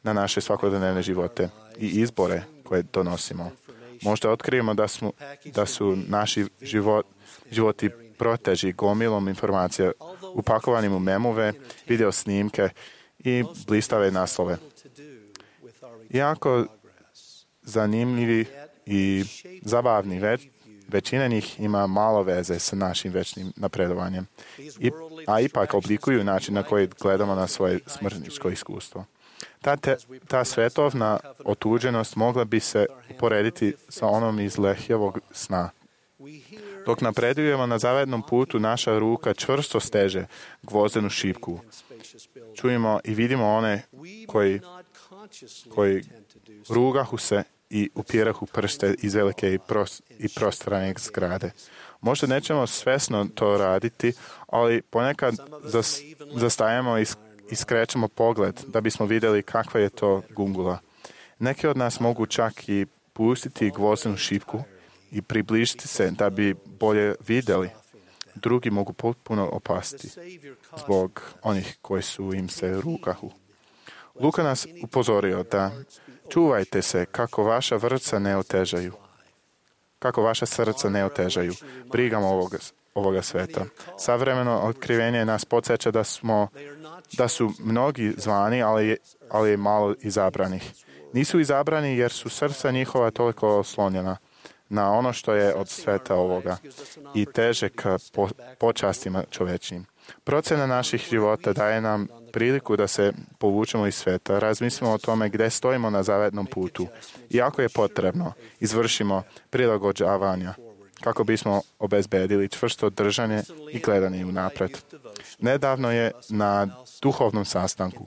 na naše svakodnevne živote i izbore koje donosimo. Možda otkrijemo da, smo, da su naši život, životi proteži gomilom informacija upakovanim u memove, video snimke i blistave naslove. Iako zanimljivi i zabavni, već, većina njih ima malo veze sa našim večnim napredovanjem, I, a ipak oblikuju način na koji gledamo na svoje smrtničko iskustvo. Ta, te, ta svetovna otuđenost mogla bi se uporediti sa onom iz Lehijevog sna. Dok napredujemo na zavednom putu, naša ruka čvrsto steže gvozdenu šipku. Čujemo i vidimo one koji, koji rugahu se i upirahu prste iz velike i, pros, i prostrane zgrade. Možda nećemo svesno to raditi, ali ponekad zas, zastajemo i iskrećemo pogled da bismo vidjeli kakva je to gungula. Neki od nas mogu čak i pustiti gvozdenu šipku i približiti se da bi bolje vidjeli. Drugi mogu potpuno opasti zbog onih koji su im se rukahu. Luka nas upozorio da čuvajte se kako vaša vrca ne otežaju. Kako vaša srca ne otežaju brigama ovoga, ovoga sveta. Savremeno otkrivenje nas podsjeća da smo da su mnogi zvani, ali, ali je malo izabranih. Nisu izabrani jer su srca njihova toliko oslonjena na ono što je od sveta ovoga i teže ka po, počastima čovečnim. Procena naših života daje nam priliku da se povučemo iz sveta, razmislimo o tome gdje stojimo na zavetnom putu i ako je potrebno, izvršimo prilagođavanja kako bismo obezbedili čvrsto držanje i gledanje unapred. Nedavno je na duhovnom sastanku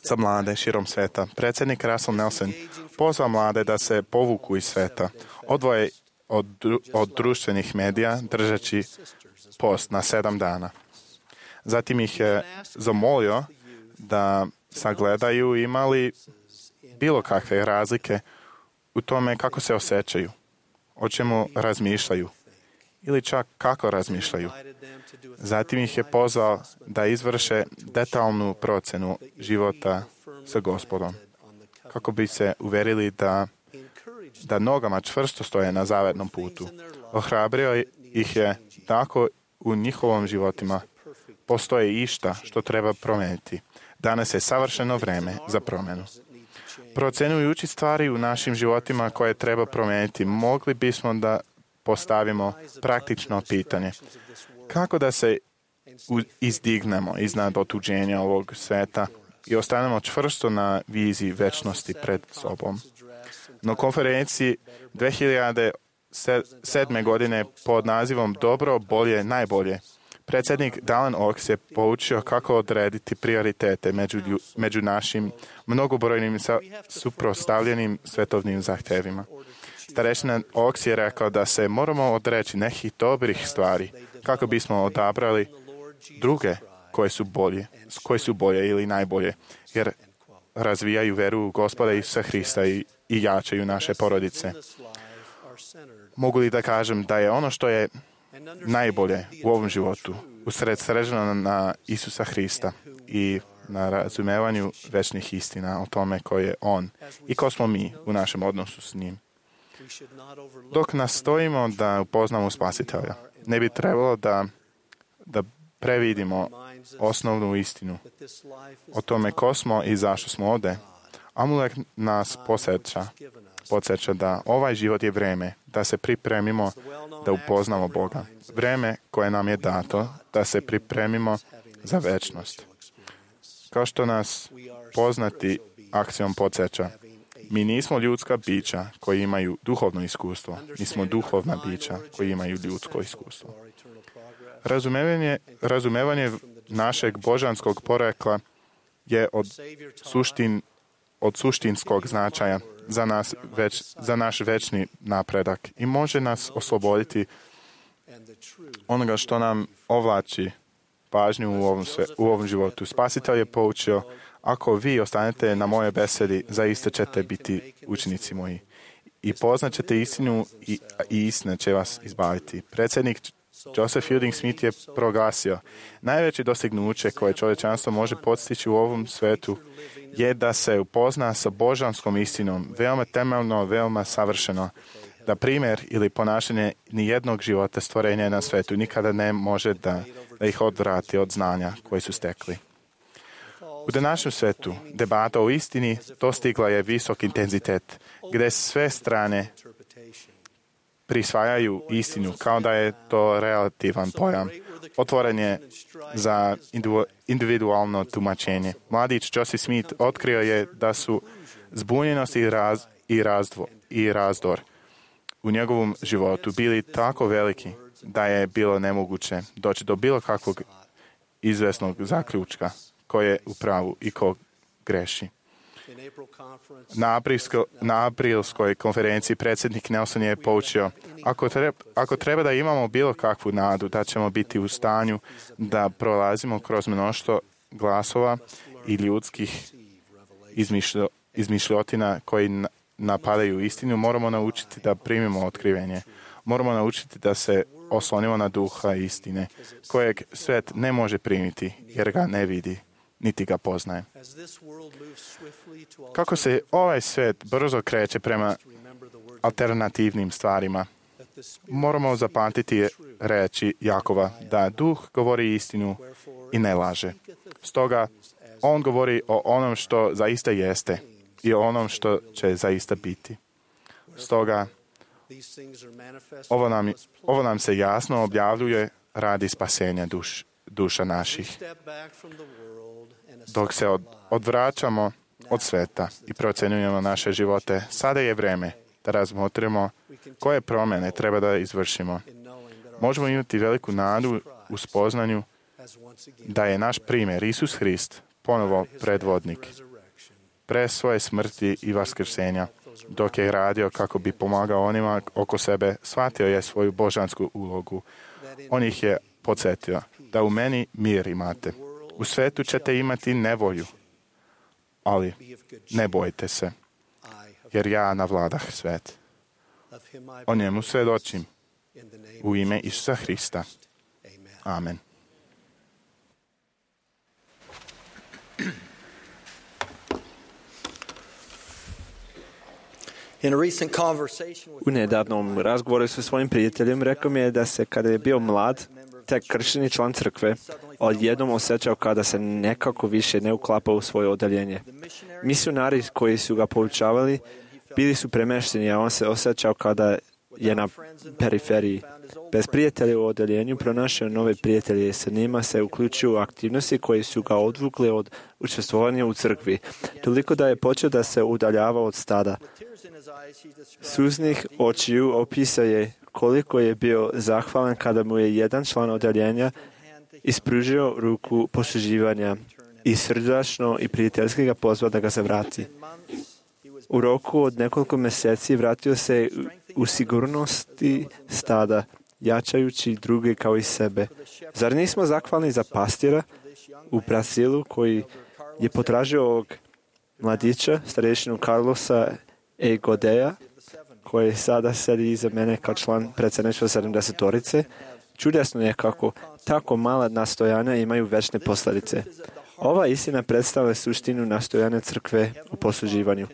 za mlade širom sveta predsjednik Russell Nelson pozvao mlade da se povuku iz sveta, odvoje od, od društvenih medija držeći post na sedam dana. Zatim ih je zamolio da sagledaju imali bilo kakve razlike u tome kako se osjećaju, o čemu razmišljaju ili čak kako razmišljaju. Zatim ih je pozvao da izvrše detaljnu procenu života sa Gospodom, kako bi se uverili da, da nogama čvrsto stoje na zavetnom putu. Ohrabrio ih je tako u njihovom životima postoji išta što treba promeniti. Danas je savršeno vreme za promenu. Procenujući stvari u našim životima koje treba promeniti, mogli bismo da postavimo praktično pitanje. Kako da se izdignemo iznad otuđenja ovog sveta i ostanemo čvrsto na viziji večnosti pred sobom? Na konferenciji dve hiljade sedme. godine pod nazivom Dobro, bolje, najbolje, predsjednik Dallin Oaks je poučio kako odrediti prioritete među, među našim mnogobrojnim suprotstavljenim svetovnim zahtevima. Starešina Oaks je rekao da se moramo odreći nekih dobrih stvari kako bismo odabrali druge koje su bolje, koje su bolje ili najbolje, jer razvijaju veru u Gospoda Isusa Hrista i, i jačaju naše porodice. Mogu li da kažem da je ono što je najbolje u ovom životu usredsređeno na Isusa Hrista i na razumevanju večnih istina o tome ko je On i ko smo mi u našem odnosu s njim. Dok nastojimo da upoznamo Spasitelja, ne bi trebalo da, da previdimo osnovnu istinu o tome ko smo i zašto smo ovde. Amulek nas podsjeća, podsjeća da ovaj život je vreme da se pripremimo da upoznamo Boga. Vreme koje nam je dato da se pripremimo za večnost. Kao što nas poznati akcijom podsjeća, mi nismo ljudska bića koji imaju duhovno iskustvo. Mi smo duhovna bića koji imaju ljudsko iskustvo. Razumevanje, razumevanje našeg božanskog porekla je od, suštin, od suštinskog značaja za, nas već, za naš večni napredak i može nas osloboditi onoga što nam ovlači pažnju u ovom, sve, u ovom životu. Spasitelj je poučio, ako vi ostanete na moje besedi, zaista ćete biti učenici moji. I poznaćete istinu i, i istina će vas izbaviti. Predsjednik Joseph Fielding Smith je proglasio, najveće dostignuće koje čovječanstvo može postići u ovom svetu je da se upozna sa božanskom istinom, veoma temeljno, veoma savršeno, da primjer ili ponašanje nijednog života stvorenja na svetu nikada ne može da, da ih odvrati od znanja koje su stekli. U današnjem svetu debata o istini dostigla je visok intenzitet, gdje sve strane prisvajaju istinu kao da je to relativan pojam. Otvoren je za individualno tumačenje. Mladić Joseph Smith otkrio je da su zbunjenost i, raz, i, razdvo, i razdor u njegovom životu bili tako veliki da je bilo nemoguće doći do bilo kakvog izvesnog zaključka ko je u pravu i ko greši. Na, aprilsko, na aprilskoj konferenciji predsjednik Nelson je poučio, ako treba, ako treba da imamo bilo kakvu nadu da ćemo biti u stanju da prolazimo kroz mnoštvo glasova i ljudskih izmišljo, izmišljotina koji napadaju istinu, moramo naučiti da primimo otkrivenje. Moramo naučiti da se oslonimo na duha istine, kojeg svet ne može primiti jer ga ne vidi, niti ga poznaje. Kako se ovaj svet brzo kreće prema alternativnim stvarima, moramo zapamtiti reči Jakova da duh govori istinu i ne laže. Stoga on govori o onom što zaista jeste i o onom što će zaista biti. Stoga ovo nam, ovo nam se jasno objavljuje radi spasenja duš, duša naših. Dok se od, odvraćamo od sveta i procenjujemo naše živote, sada je vreme da razmotrimo koje promjene treba da izvršimo. Možemo imati veliku nadu u spoznanju da je naš primjer Isus Hrist ponovo predvodnik. Pre svoje smrti i vaskrsenja, dok je radio kako bi pomagao onima oko sebe, shvatio je svoju božansku ulogu. On ih je podsjetio da u meni mir imate. U svetu ćete imati nevolju, ali ne bojte se, jer ja navladah svet. O njemu svjedočim U ime Isusa Hrista. Amen. U nedavnom razgovoru sa svojim prijateljem rekao mi je da se kada je bio mlad, tek kršteni član crkve, odjednom osjećao kada se nekako više ne uklapa u svoje odeljenje. Misionari koji su ga poučavali bili su premešteni, a on se osjećao kada je na periferiji. Bez prijatelja u odeljenju pronašao nove prijatelje, sa njima se uključio u aktivnosti koje su ga odvukle od učestvovanja u crkvi, toliko da je počeo da se udaljava od stada. Suznih očiju opisao je koliko je bio zahvalan kada mu je jedan član odeljenja ispružio ruku posluživanja i srdačno i prijateljski ga pozvao da ga se vrati. U roku od nekoliko mjeseci vratio se u sigurnosti stada, jačajući druge kao i sebe. Zar nismo zahvalni za pastira u Brazilu koji je potražio ovog mladića, starešinu Carlosa E. Godeja, koji sada sedi iza mene kao član predsjedništva sedamdesetorice? Čudesno je kako tako mala nastojanja imaju večne posljedice. Ova istina predstavlja suštinu nastojanja crkve u posluživanju.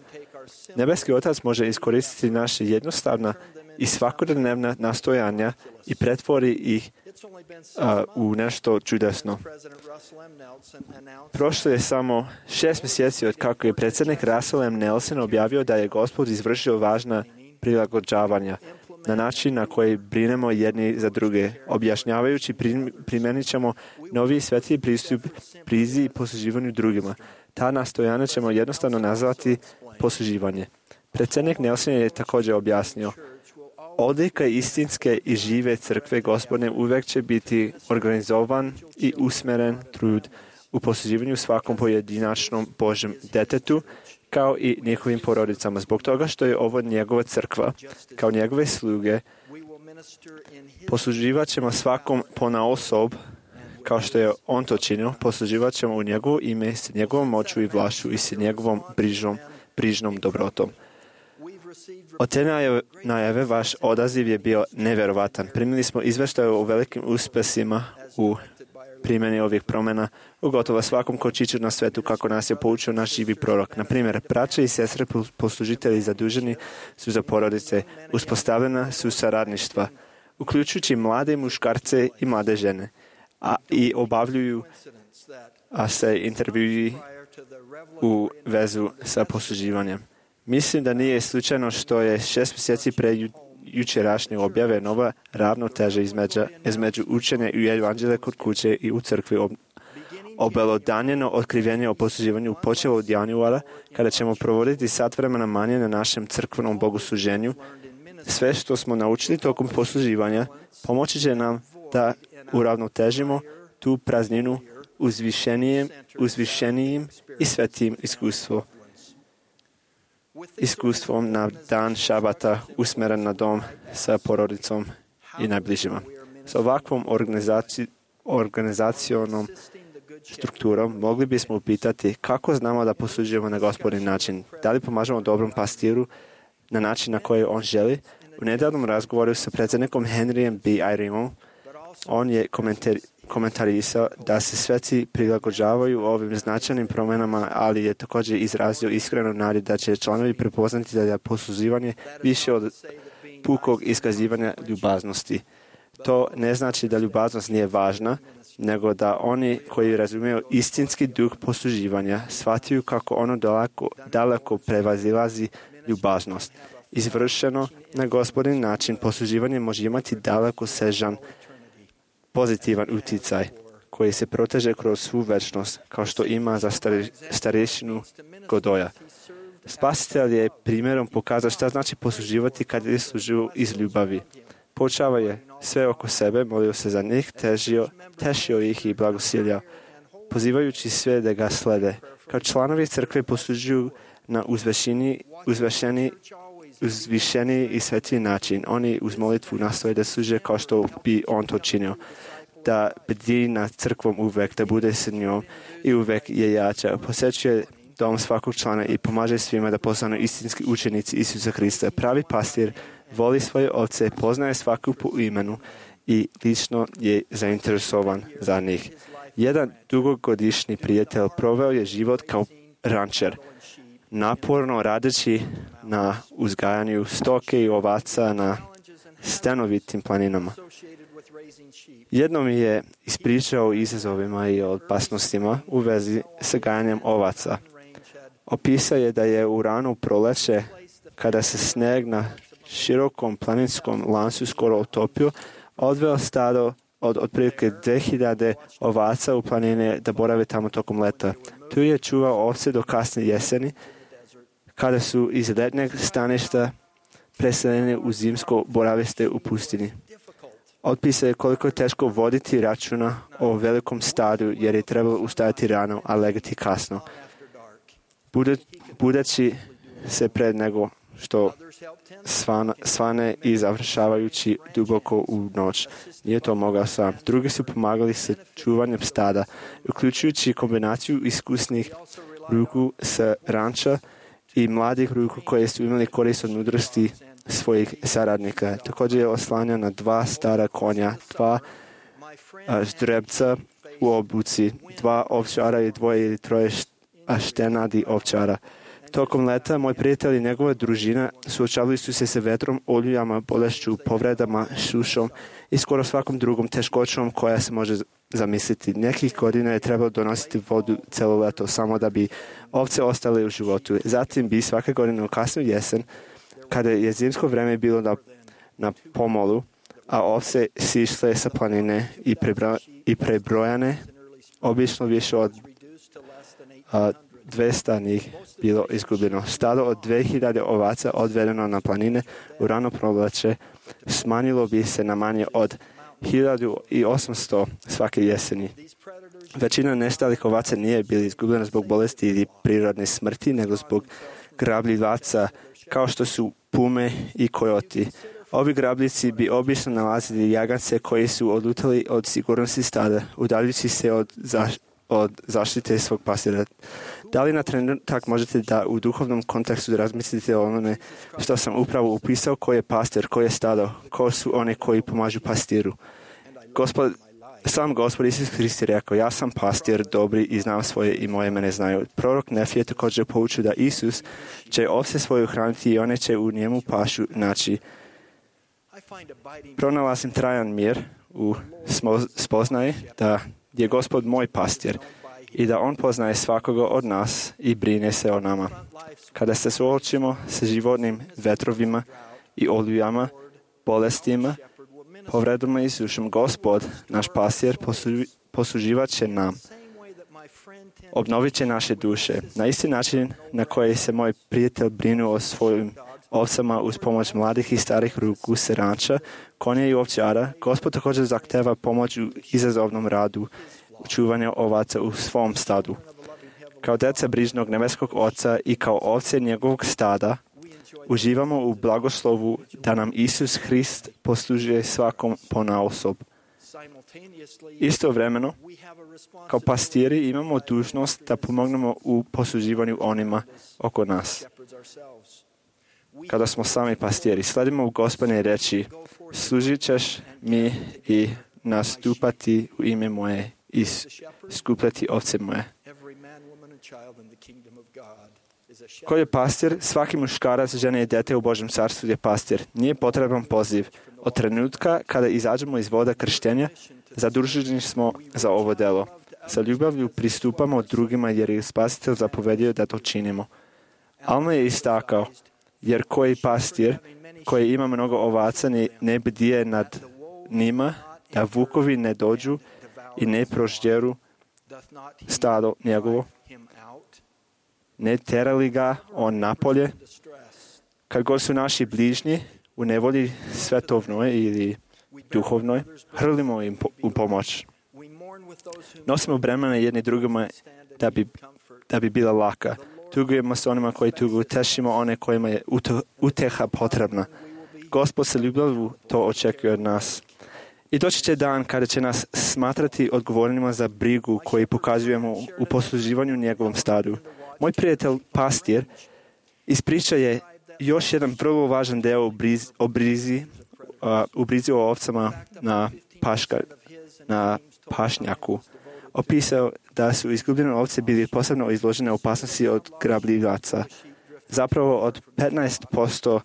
Nebeski Otac može iskoristiti naše jednostavna i svakodnevna nastojanja i pretvori ih a, u nešto čudesno. Prošlo je samo šest mjeseci od kako je predsjednik Russell M. Nelson objavio da je Gospod izvršio važna prilagođavanja na način na koji brinemo jedni za druge, objašnjavajući primjenit ćemo novi sveti pristup prizi i posluživanju drugima. Ta nastojanja ćemo jednostavno nazvati posluživanje. Predsjednik Nelson je također objasnio: odlika istinske i žive crkve Gospodne uvijek će biti organizovan i usmeren trud u posluživanju svakom pojedinačnom Božjem detetu, kao i njihovim porodicama. Zbog toga što je ovo njegova crkva, kao njegove sluge, posluživat ćemo svakom ponaosob, kao što je on to činio, posluživat ćemo u njegovo ime, s njegovom moću i vlašću i s njegovom brižnom, brižnom dobrotom. Od te najave vaš odaziv je bio nevjerovatan. Primili smo izveštaje o velikim uspjesima u primjeni ovih promjena u gotovo svakom kočiću na svetu, kako nas je poučio naš živi prorok. Na primjer, braće i sestre poslužitelji zaduženi su za porodice, uspostavljena su saradništva, uključujući mlade muškarce i mlade žene, a i obavljuju a se intervjui u vezu sa posluživanjem. Mislim da nije slučajno što je šest mjeseci pre ju, jučerašnje objave nova ravnoteža između, između učenja i evanđelja kod kuće i u crkvi ob, obelodanjeno otkrivenje o posluživanju počelo od januara, kada ćemo provoditi sat vremena manje na našem crkvenom bogosluženju. Sve što smo naučili tokom posluživanja pomoći će nam da uravnotežimo tu prazninu uzvišenijim, uzvišenijim i svetim iskustvom. iskustvom na dan šabata usmeren na dom sa porodicom i najbližima. S ovakvom organizaci, organizacionom strukturom mogli bismo upitati kako znamo da poslužujemo na Gospodin način. Da li pomažemo dobrom pastiru na način na koji on želi? U nedavnom razgovoru sa predsjednikom Henryjem B. Eyringom on je komentari, komentarisao da se sveci prilagođavaju ovim značajnim promjenama, ali je također izrazio iskrenu nadu da će članovi prepoznati da je posluživanje više od pukog iskazivanja ljubaznosti. To ne znači da ljubaznost nije važna, nego da oni koji razumiju istinski duh posluživanja shvatiju kako ono daleko, daleko prevazilazi ljubaznost. Izvršeno na Gospodin način posluživanje može imati daleko sežan pozitivan utjecaj koji se proteže kroz svu večnost, kao što ima za starešinu Godoja. Spasitelj je primjerom pokazao šta znači posluživati kad je služio iz ljubavi. Počava je sve oko sebe, molio se za njih, težio, tešio ih i blagosiljao, pozivajući sve da ga slede. Kao članovi crkve poslužuju na uzvešeni, uzvešeni, uzvišeni i sveti način. Oni uz molitvu nastoje da služe kao što bi on to činio. Da bdi nad crkvom uvek, da bude s njom i uvek je jača. Posjećuje dom svakog člana i pomaže svima da postanu istinski učenici Isusa Hrista. Pravi pastir voli svoje ovce, poznaje svaku po imenu i lično je zainteresovan za njih. Jedan dugogodišnji prijatelj proveo je život kao rančer, naporno radeći na uzgajanju stoke i ovaca na stenovitim planinama. Jednom mi je ispričao o izazovima i opasnostima u vezi sa gajanjem ovaca. Opisao je da je u rano proleće, kada se sneg na širokom planinskom lancu skoro otopio, odveo stado od otprilike dve hiljade ovaca u planine da borave tamo tokom leta. Tu je čuvao ovce do kasne jeseni, kada su iz letnjeg staništa preseljeni u zimsko boravište u pustinji. Otpisao je koliko je teško voditi računa o velikom stadu, jer je trebalo ustajati rano, a legati kasno. Budeći se pred nego što svana, svane i završavajući duboko u noć. Nije to mogao sam. Drugi su pomagali sa čuvanjem stada, uključujući kombinaciju iskusnih ruku sa ranča i mladih ruku koje su imali korist od mudrosti svojih saradnika. Također je oslanjan na dva stara konja, dva a, ždrebca u obuci, dva ovčara i dvoje ili troje štenadi ovčara. Tokom leta moj prijatelj i njegova družina suočavali su se sa vetrom, olujama, bolešću, povredama, sušom i skoro svakom drugom teškoćom koja se može zamisliti. Nekih godina je trebalo donositi vodu celo leto samo da bi ovce ostale u životu. Zatim bi svake godine u kasnu jesen, kada je zimsko vreme bilo na, na pomolu, a ovce sišle sa planine i, prebro, i prebrojane, obično više od a, dvesta njih bilo izgubljeno. Stado od dve hiljade ovaca odvedeno na planine u rano proleće smanjilo bi se na manje od hiljadu osamsto svake jeseni. Većina nestalih ovaca nije bila izgubljena zbog bolesti ili prirodne smrti, nego zbog grabljivaca kao što su pume i kojoti. Ovi grabljici bi obično nalazili jagance koji su odlutali od sigurnosti stada, udaljujući se od, zaš, od zaštite svog pastira. Da li na trenutak možete da u duhovnom kontekstu razmislite o onome što sam upravo upisao, koji je pastir, koji je stado, ko su oni koji pomažu pastiru? Gospod, sam Gospod Isus Hrist je rekao, ja sam pastir dobri i znam svoje i moje mene znaju. Prorok Nefije također poučio da Isus će ovce svoju hraniti i one će u njemu pašu naći. Pronalazim trajan mir u spoznaji da je Gospod moj pastir i da on poznaje svakoga od nas i brine se o nama. Kada se suočimo sa životnim vetrovima i olujama, bolestima, povredama i sušom, Gospod, naš pastir, posluživat će nam. Obnovit će naše duše. Na isti način na koji se moj prijatelj brinuo o svojim ovcama uz pomoć mladih i starih ruku se ranča, konja i ovčara, Gospod također zahteva pomoć u izazovnom radu čuvanja ovaca u svom stadu. Kao deca brižnog nebeskog Oca i kao ovce njegovog stada, uživamo u blagoslovu da nam Isus Hrist poslužuje svakom ponaosob. Istovremeno, kao pastiri imamo dužnost da pomognemo u posluživanju onima oko nas. Kada smo sami pastiri, sledimo u Gospodine reći, služit ćeš mi i nastupati u ime moje i skupljati ovce moje. Ko je pastir? Svaki muškarac, žena i dete u Božjem carstvu je pastir. Nije potreban poziv. Od trenutka kada izađemo iz voda krštenja, zaduženi smo za ovo delo. Sa ljubavlju pristupamo drugima jer je Spasitelj zapovedio da to činimo. Alma je istakao, jer koji pastir koji ima mnogo ovaca ne, ne bdije nad njima, da vukovi ne dođu i ne prožderu stado njegovo, ne terali ga on napolje. Kad god su naši bližnji u nevolji svetovnoj ili duhovnoj, hrlimo im po, u pomoć. Nosimo bremena jedni drugima da bi, da bi bila laka. Tugujemo s onima koji tuguju, tešimo one kojima je uteha potrebna. Gospod sa ljubavlju to očekuje od nas. I doći će dan kada će nas smatrati odgovornima za brigu koju pokazujemo u posluživanju njegovom stadu. Moj prijatelj, pastir, ispriča je još jedan vrlo važan deo u brizi, o brizi, uh, u brizi o ovcama na, paška, na pašnjaku opisao da su izgubljene ovce bili posebno izložene opasnosti od grabljivaca. Zapravo od petnaest posto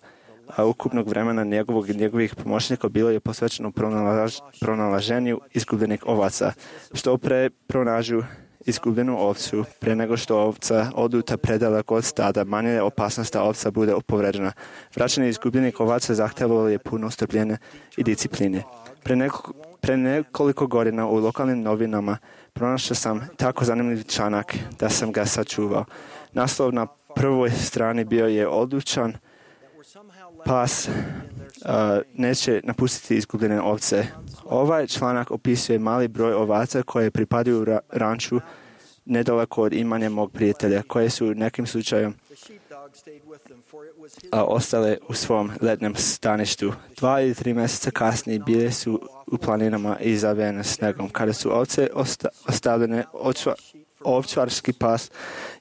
ukupnog vremena njegovog i njegovih pomoćnika bilo je posvećeno pronalaž, pronalaženju izgubljenih ovaca. Što pre pronađu izgubljenu ovcu, pre nego što ovca oduta predaleko od stada, manje je opasnost da ovca bude povređena. Vraćanje izgubljenih ovaca zahtevalo je puno strpljenja i discipline. Pre, neko, pre nekoliko godina u lokalnim novinama pronašao sam tako zanimljiv članak da sam ga sačuvao. Naslov na prvoj strani bio je odlučan pas uh, neće napustiti izgubljene ovce. Ovaj članak opisuje mali broj ovaca koje pripadaju ra- ranču nedaleko od imanja mog prijatelja, koje su nekim slučajem a, ostale u svom letnjem staništu. Dva ili tri mjeseca kasnije bile su u planinama i zavijene snegom. Kada su ovce osta- ostavljene, očva- ovčarski pas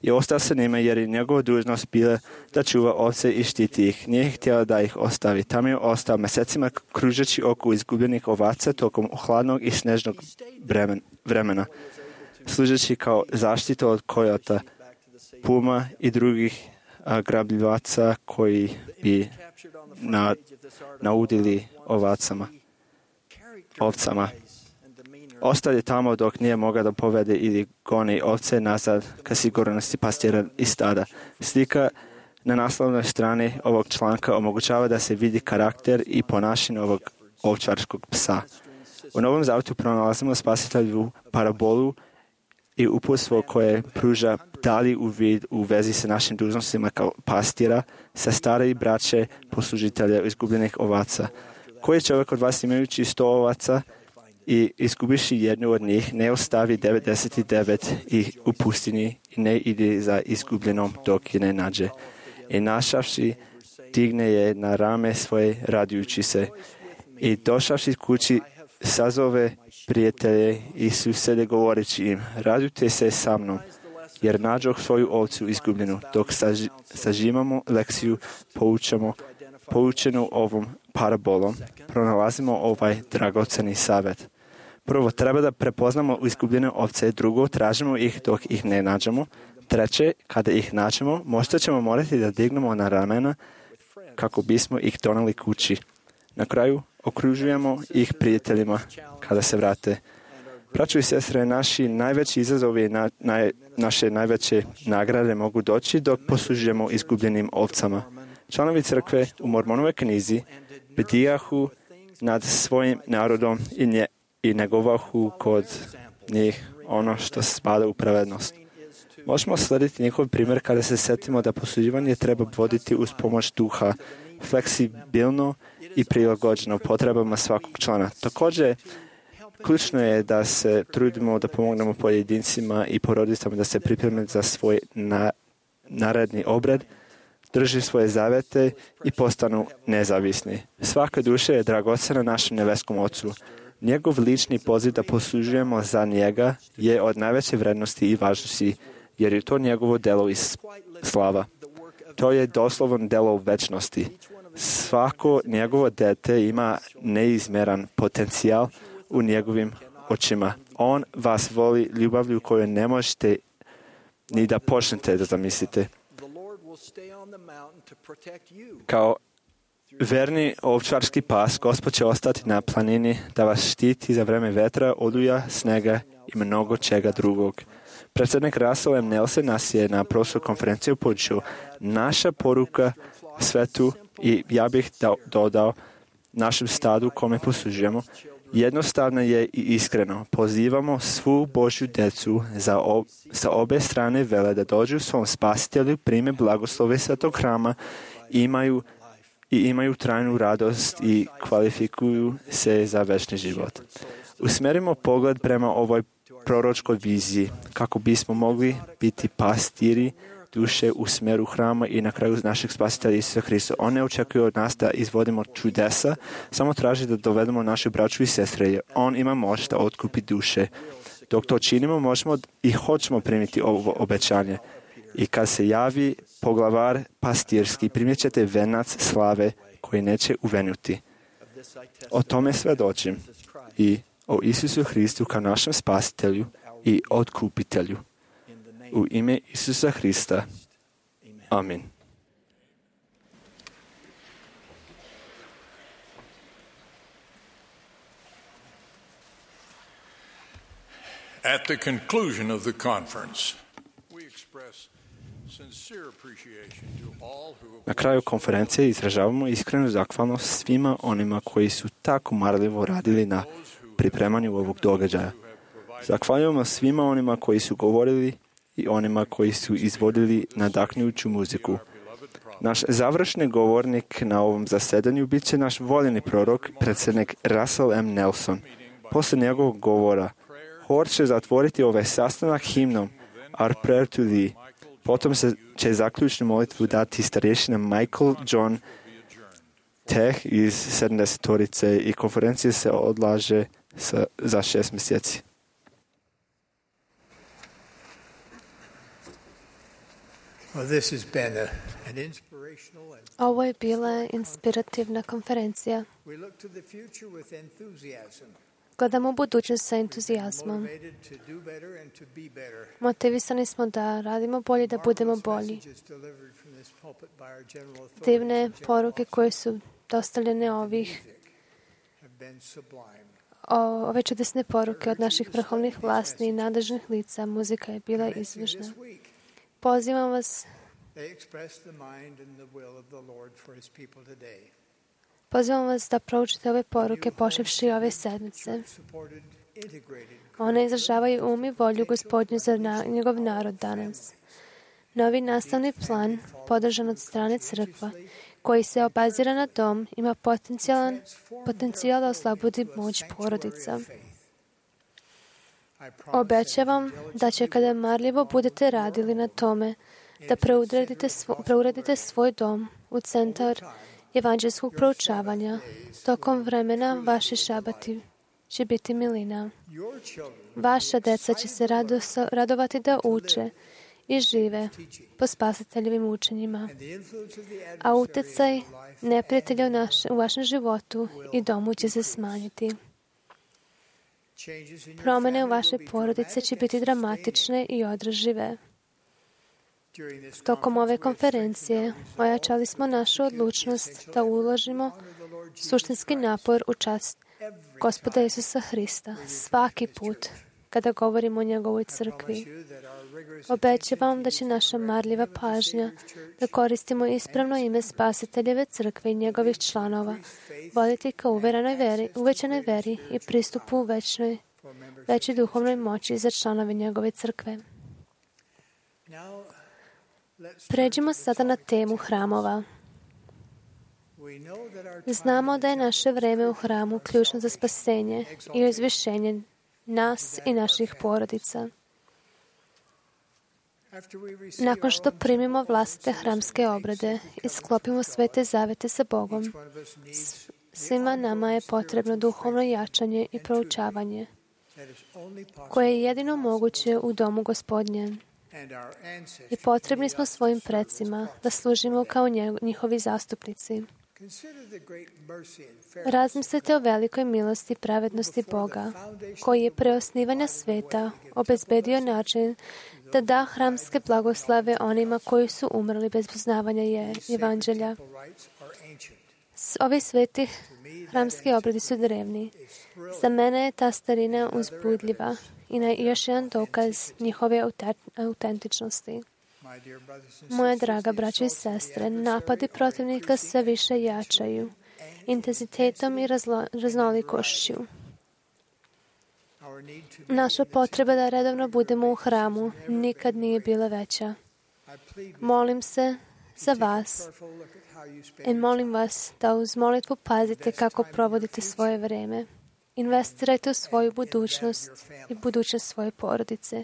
je ostao sa njima jer je njegova dužnost bila da čuva ovce i štiti ih. Nije htjela da ih ostavi. Tam je ostao mjesecima kružeći oko izgubljenih ovaca tokom hladnog i snežnog vremena, služeći kao zaštitu od kojota, puma i drugih a, grabljivaca koji bi na, naudili ovacama, ovcama. Ostao je tamo dok nije mogao da povede ili goni ovce nazad ka sigurnosti pastira i stada. Slika na naslovnoj strani ovog članka omogućava da se vidi karakter i ponašanje ovog ovčarskog psa. U Novom Zavjetu pronalazimo spasitelju parabolu i uputstvo koje pruža dalji uvid u vezi sa našim dužnostima kao pastira, sa stare braće poslužitelja izgubljenih ovaca. Koji čovjek od vas imajući sto ovaca i izgubiši jednu od njih, ne ostavi devedeset devet i u pustini i ne ide za izgubljenom dok je ne nađe. I našavši, digne je na rame svoje radujući se. I došavši kući, sazove prijatelje i susede govoreći im, radujte se sa mnom, jer nađoh svoju ovcu izgubljenu. Dok saži, sažimamo lekciju, poučamo, poučenu ovom parabolom, pronalazimo ovaj dragoceni savjet. Prvo, treba da prepoznamo izgubljene ovce, drugo, tražimo ih dok ih ne nađemo, treće, kada ih nađemo, možda ćemo morati da dignemo na ramena kako bismo ih donali kući. Na kraju, okružujemo ih prijateljima kada se vrate. Braćo i sestre, naši najveći izazovi, na, naj, naše najveće nagrade mogu doći dok poslužujemo izgubljenim ovcama. Članovi crkve u Mormonovoj knjizi bdijahu nad svojim narodom i, nje, i negovahu kod njih ono što spada u pravednost. Možemo slediti njihov primjer kada se setimo da posluživanje treba voditi uz pomoć duha, fleksibilno i prilagođeno potrebama svakog člana. Također, ključno je da se trudimo da pomognemo pojedincima i porodicama da se pripreme za svoj na, naredni obred, drži svoje zavete i postanu nezavisni. Svaka duša je dragocena našem nebeskom Ocu. Njegov lični poziv da poslužujemo za njega je od najveće vrednosti i važnosti, jer je to njegovo delo i slava. To je doslovno delo večnosti. Svako njegovo dete ima neizmeran potencijal u njegovim očima. On vas voli ljubavlju koju ne možete ni da počnete da zamislite. Kao verni ovčarski pas, Gospod će ostati na planini da vas štiti za vreme vetra, oluja, snega i mnogo čega drugog. Predsjednik Russell M. Nelson nas je na prošloj konferenciji upućio. Naša poruka svetu, i ja bih dodao našem stadu kome poslužujemo, jednostavno je i iskreno. Pozivamo svu Božju djecu za ob, sa obe strane vele da dođu svom spasitelju, prime blagoslove svetog hrama, imaju i imaju trajnu radost i kvalifikuju se za večni život. Usmerimo pogled prema ovoj proročkoj viziji kako bismo mogli biti pastiri duše u smjeru hrama i na kraju našeg spasitelja Isusa Hrista. On ne očekuje od nas da izvodimo čudesa, samo traži da dovedemo našu braću i sestre. On ima moć da otkupi duše. Dok to činimo, možemo i hoćemo primiti ovo obećanje. I kad se javi poglavar pastirski, primjet ćete venac slave koji neće uvenuti. O tome svedočim i o Isusu Hristu kao našem spasitelju i otkupitelju. U ime Isusa Hrista. Amin. At the conclusion of the conference, we express sincere appreciation to all who have Na kraju konferencije izražavamo iskrenu zahvalnost svima onima koji su tako marljivo radili na pripremanju ovog događaja. Zahvaljujemo svima onima koji su govorili i onima koji su izvodili nadahnjuću muziku. Naš završni govornik na ovom zasedanju bit će naš voljeni prorok, predsjednik Russell M. Nelson. Poslije njegovog govora, hor će zatvoriti ovaj sastanak himnom Our Prayer to Thee. Potom se će zaključnu molitvu dati starješina Michael John Teh iz sedamdesetorice i konferencija se odlaže sa, za šest mjeseci. Ovo je bila inspirativna konferencija. Gledamo u budućnost sa entuzijazmom. Motivisani smo da radimo bolje, da budemo bolji. Divne poruke koje su dostavljene ovih o, ove čudesne poruke od naših vrhovnih vlasti i nadležnih lica, muzika je bila izvršna. Pozivam vas Pozivam vas da proučite ove poruke počevši ove sedmice. One izražavaju um i volju Gospodnju za na, njegov narod danas. Novi nastavni plan, podržan od strane crkva, koji se obazira na dom, ima potencijalan, potencijal da oslobodi moć porodica. Obećavam da će kada marljivo budete radili na tome, da preuredite, svo, preuredite svoj dom u centar evanđelskog proučavanja. Tokom vremena vaši šabati će biti milina. Vaša deca će se rado, radovati da uče i žive po spasiteljevim učenjima. A utjecaj neprijatelja u, naš, u vašem životu i domu će se smanjiti. Promjene u vaše porodice će biti dramatične i održive. Tokom ove konferencije ojačali smo našu odlučnost da uložimo suštinski napor u čast Gospoda Isusa Hrista svaki put kada govorimo o njegovoj crkvi. Obećavam da će naša marljiva pažnja da koristimo ispravno ime Spasiteljeve crkve i njegovih članova, voditi ka uverenoj veri, uvećanoj veri i pristupu večnoj, većoj duhovnoj moći za članove njegove crkve. Pređimo sada na temu hramova. Znamo da je naše vreme u hramu ključno za spasenje i izvišenje nas i naših porodica. Nakon što primimo vlastite hramske obrede i sklopimo svete zavete sa Bogom, svima nama je potrebno duhovno jačanje i proučavanje, koje je jedino moguće u domu Gospodnjem. I potrebni smo svojim predsima da služimo kao njihovi zastupnici. Razmislite o velikoj milosti i pravednosti Boga, koji je pre osnivanja sveta obezbedio način da da hramske blagoslave onima koji su umrli bez poznavanja evanđelja. Ovi sveti hramski obredi su drevni. Za mene je ta starina uzbudljiva i na još jedan dokaz njihove autentičnosti. Moja draga braća i sestre, napadi protivnika sve više jačaju, intenzitetom i razlo, raznolikošću. Naša potreba da redovno budemo u hramu nikad nije bila veća. Molim se za vas i molim vas da uz molitvu pazite kako provodite svoje vreme. Investirajte u svoju budućnost i budućnost svoje porodice.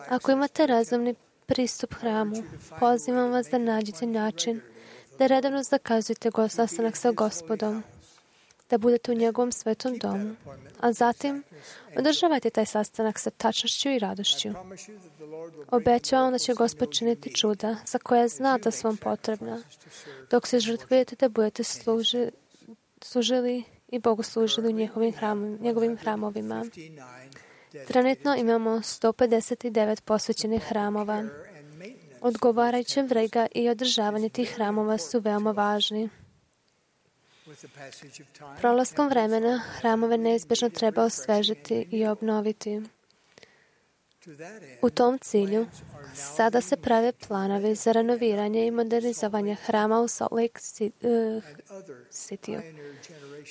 Ako imate razumni pristup hramu, pozivam vas da nađete način da redovno zakazujete sastanak sa Gospodom. da budete u njegovom svetom domu, a zatim održavajte taj sastanak sa tačnošću i radošću. Obećavam da će Gospod činiti čuda za koje zna da su vam potrebna, dok se žrtvujete da budete služi, služili i Bogu služili u njegovim, hram, njegovim hramovima. Trenutno imamo sto pedeset devet posvećenih hramova. Odgovarajuća vrega i održavanje tih hramova su veoma važni. Prolaskom vremena hramove neizbježno treba osvežiti i obnoviti. U tom cilju sada se prave planovi za renoviranje i modernizovanje hrama u Salt Lake City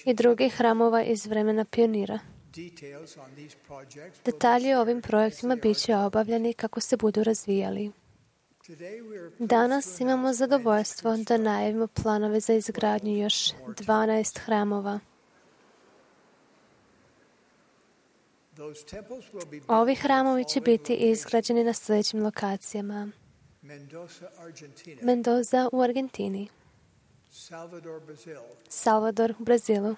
i drugih hramova iz vremena pionira. Detalji o ovim projektima bit će obavljeni kako se budu razvijali. Danas imamo zadovoljstvo da najavimo planove za izgradnju još dvanaest hramova. Ovi hramovi će biti izgrađeni na sljedećim lokacijama. Mendoza u Argentini, Salvador u Brazilu,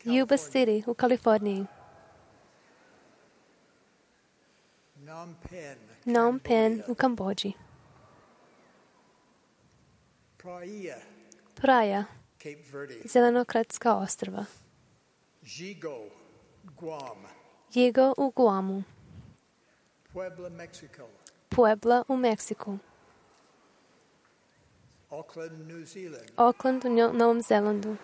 Yuba City u Kaliforniji, Phnom Penh u Kambodži, Praia, Zelenokratska ostrva, Yigo u Guamu, Puebla u Meksiku, Auckland u Novom Zelandu,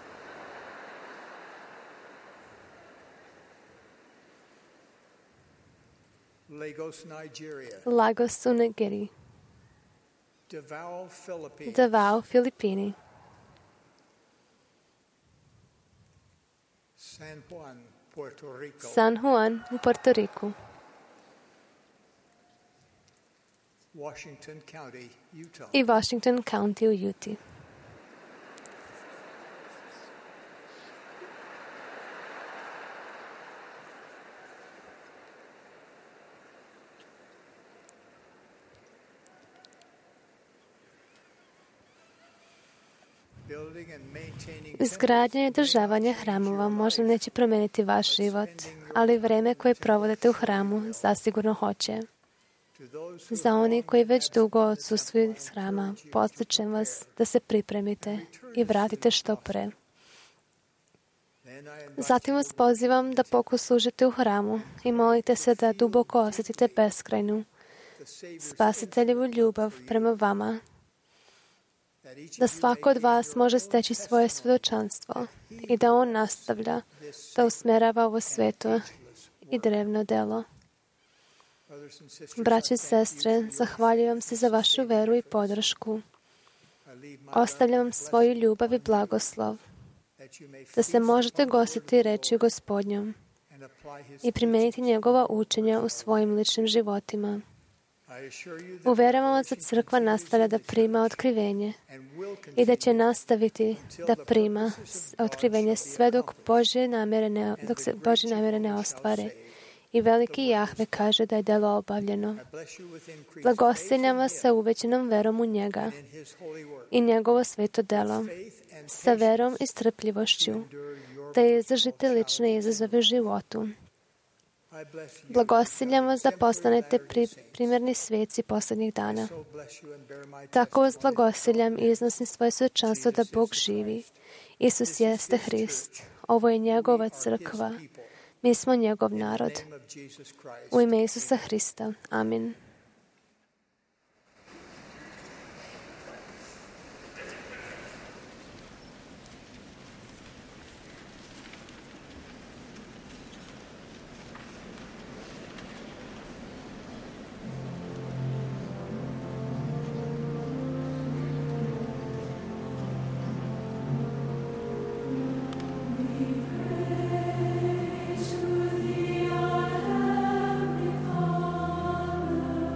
Lagos u Nigeriji, Davao, Filipini, San Juan u Porto Riku, i Washington County u Utah. Izgradnja i održavanje hramova možda neće promijeniti vaš život, ali vreme koje provodite u hramu zasigurno hoće. Za oni koji već dugo odsustvuju iz hrama, podsjećam vas da se pripremite i vratite što pre. Zatim vas pozivam da poslužite u hramu i molite se da duboko osjetite beskrajnu, Spasiteljevu ljubav prema vama, da svako od vas može steći svoje svjedočanstvo i da on nastavlja da usmjerava ovo sveto i drevno delo. Braće i sestre, zahvaljujem se za vašu veru i podršku. Ostavljam vam svoju ljubav i blagoslov, da se možete gostiti reči Gospodnjom i primijeniti njegova učenja u svojim ličnim životima. Uveravam vas da crkva nastavlja da prima otkrivenje i da će nastaviti da prima otkrivenje sve dok Božje namjere ne, dok se Božje namjere ne ostvare. I veliki Jahve kaže da je delo obavljeno. Blagoslovljam vas sa uvećenom verom u njega i njegovo sveto delo, sa verom i strpljivošću, da izdržite lične izazove u životu. Blagoslovljam vas da postanete pri, primjerni sveci posljednjih dana. Tako vas blagoslovljam i iznosim svoje svjedočanstvo da Bog živi. Isus jeste Hrist. Ovo je njegova crkva. Mi smo njegov narod. U ime Isusa Hrista. Amin. Praise to the Heavenly Father.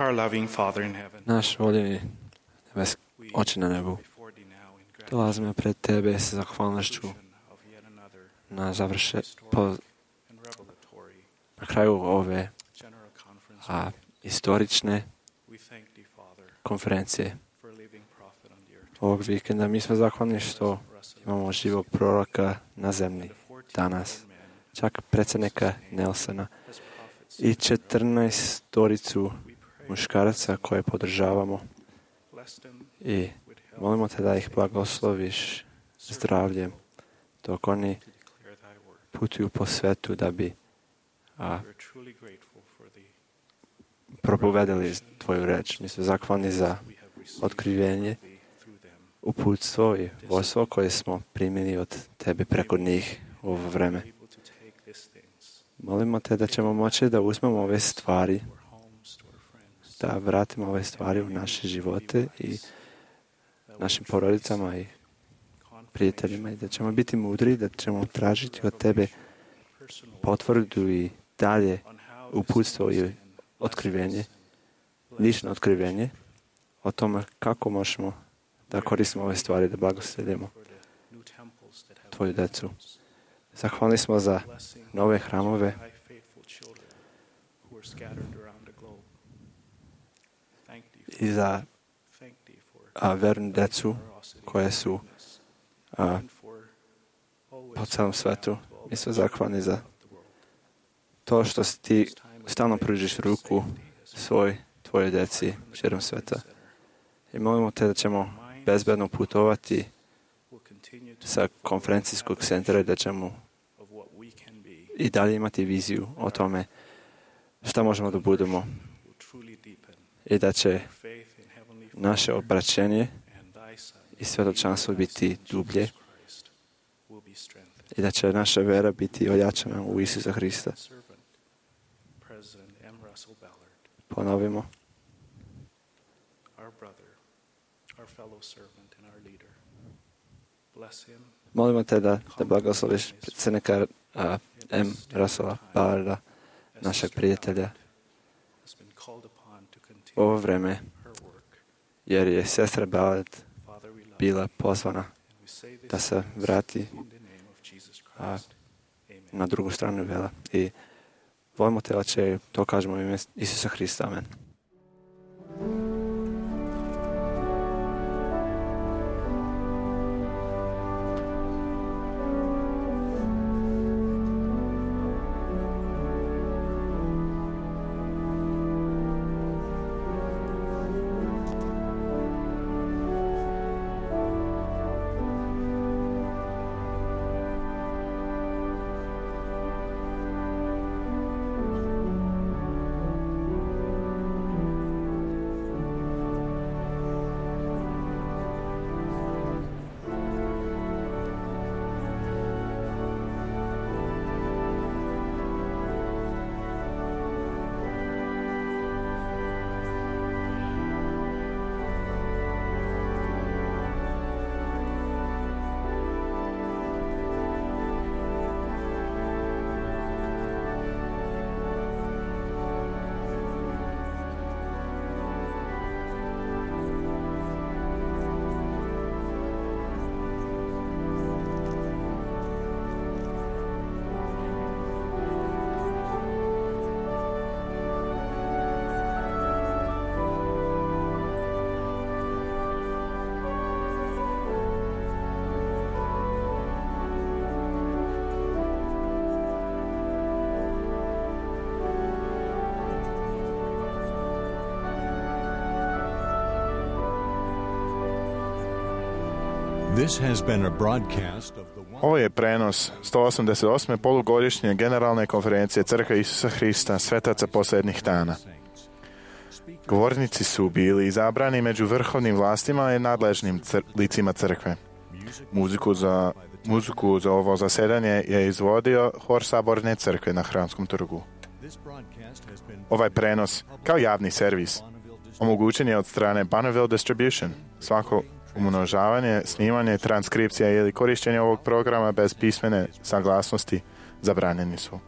Our loving Father in heaven, Naš voljeni nebeski Oče na nebu, dolazimo pred Tebe sa zahvalnošću na završe, po, na kraju ove a, istorične konferencije ovog vikenda. Mi smo zahvalni što imamo živog proroka na zemlji danas, čak predsjednika Nelsona i četrnaestoricu muškaraca koje podržavamo i molimo te da ih blagosloviš zdravljem dok oni putuju po svetu da bi a, propovedali tvoju reč. Mi smo zahvalni za otkrivenje, uputstvo i vodstvo koje smo primili od tebe preko njih u ovo vreme. Molimo te da ćemo moći da uzmemo ove stvari, da vratimo ove stvari u naše živote i našim porodicama i prijateljima i da ćemo biti mudri, da ćemo tražiti od tebe potvrdu i dalje uputstvo i otkrivenje, lično otkrivenje o tome kako možemo da koristimo ove stvari, da blagosledimo tvoju decu. Zahvalni smo za nove hramove i za a, vernu decu koje su a, po celom svetu. Mi smo zahvalni za to što ti stalno pružiš ruku svoj, tvojoj deci širom sveta. I molimo te da ćemo bezbedno putovati sa konferencijskog centra i da ćemo i dalje imati viziju o tome šta možemo da budemo i da će naše obraćenje i svjedočanstvo biti dublje i da će naša vera biti ojačana u Isusa Hrista. Ponovimo. Molimo te da, da blagosloviš predsjednika uh, M. Russella Ballarda, našeg prijatelja, u ovo vreme, jer je sestra Ballard bila pozvana da se vrati a, na drugu stranu vela. I volimo te, Oče, to kažemo u ime Isusa Hrista. Amen. This has been a broadcast of the Ovo je prenos sto osamdeset osme polugodišnje generalne konferencije Crkve Isusa Hrista svetaca posljednjih dana. Govornici su bili izabrani među vrhovnim vlastima i nadležnim cr- licima crkve. Muziku za, muziku za ovo zasedanje je izvodio Hor Saborne crkve na Hramskom trgu. Ovaj prenos, kao javni servis, omogućen je od strane Bonneville Distribution. Svako umnožavanje, snimanje, transkripcija ili korištenje ovog programa bez pismene saglasnosti zabranjeni su.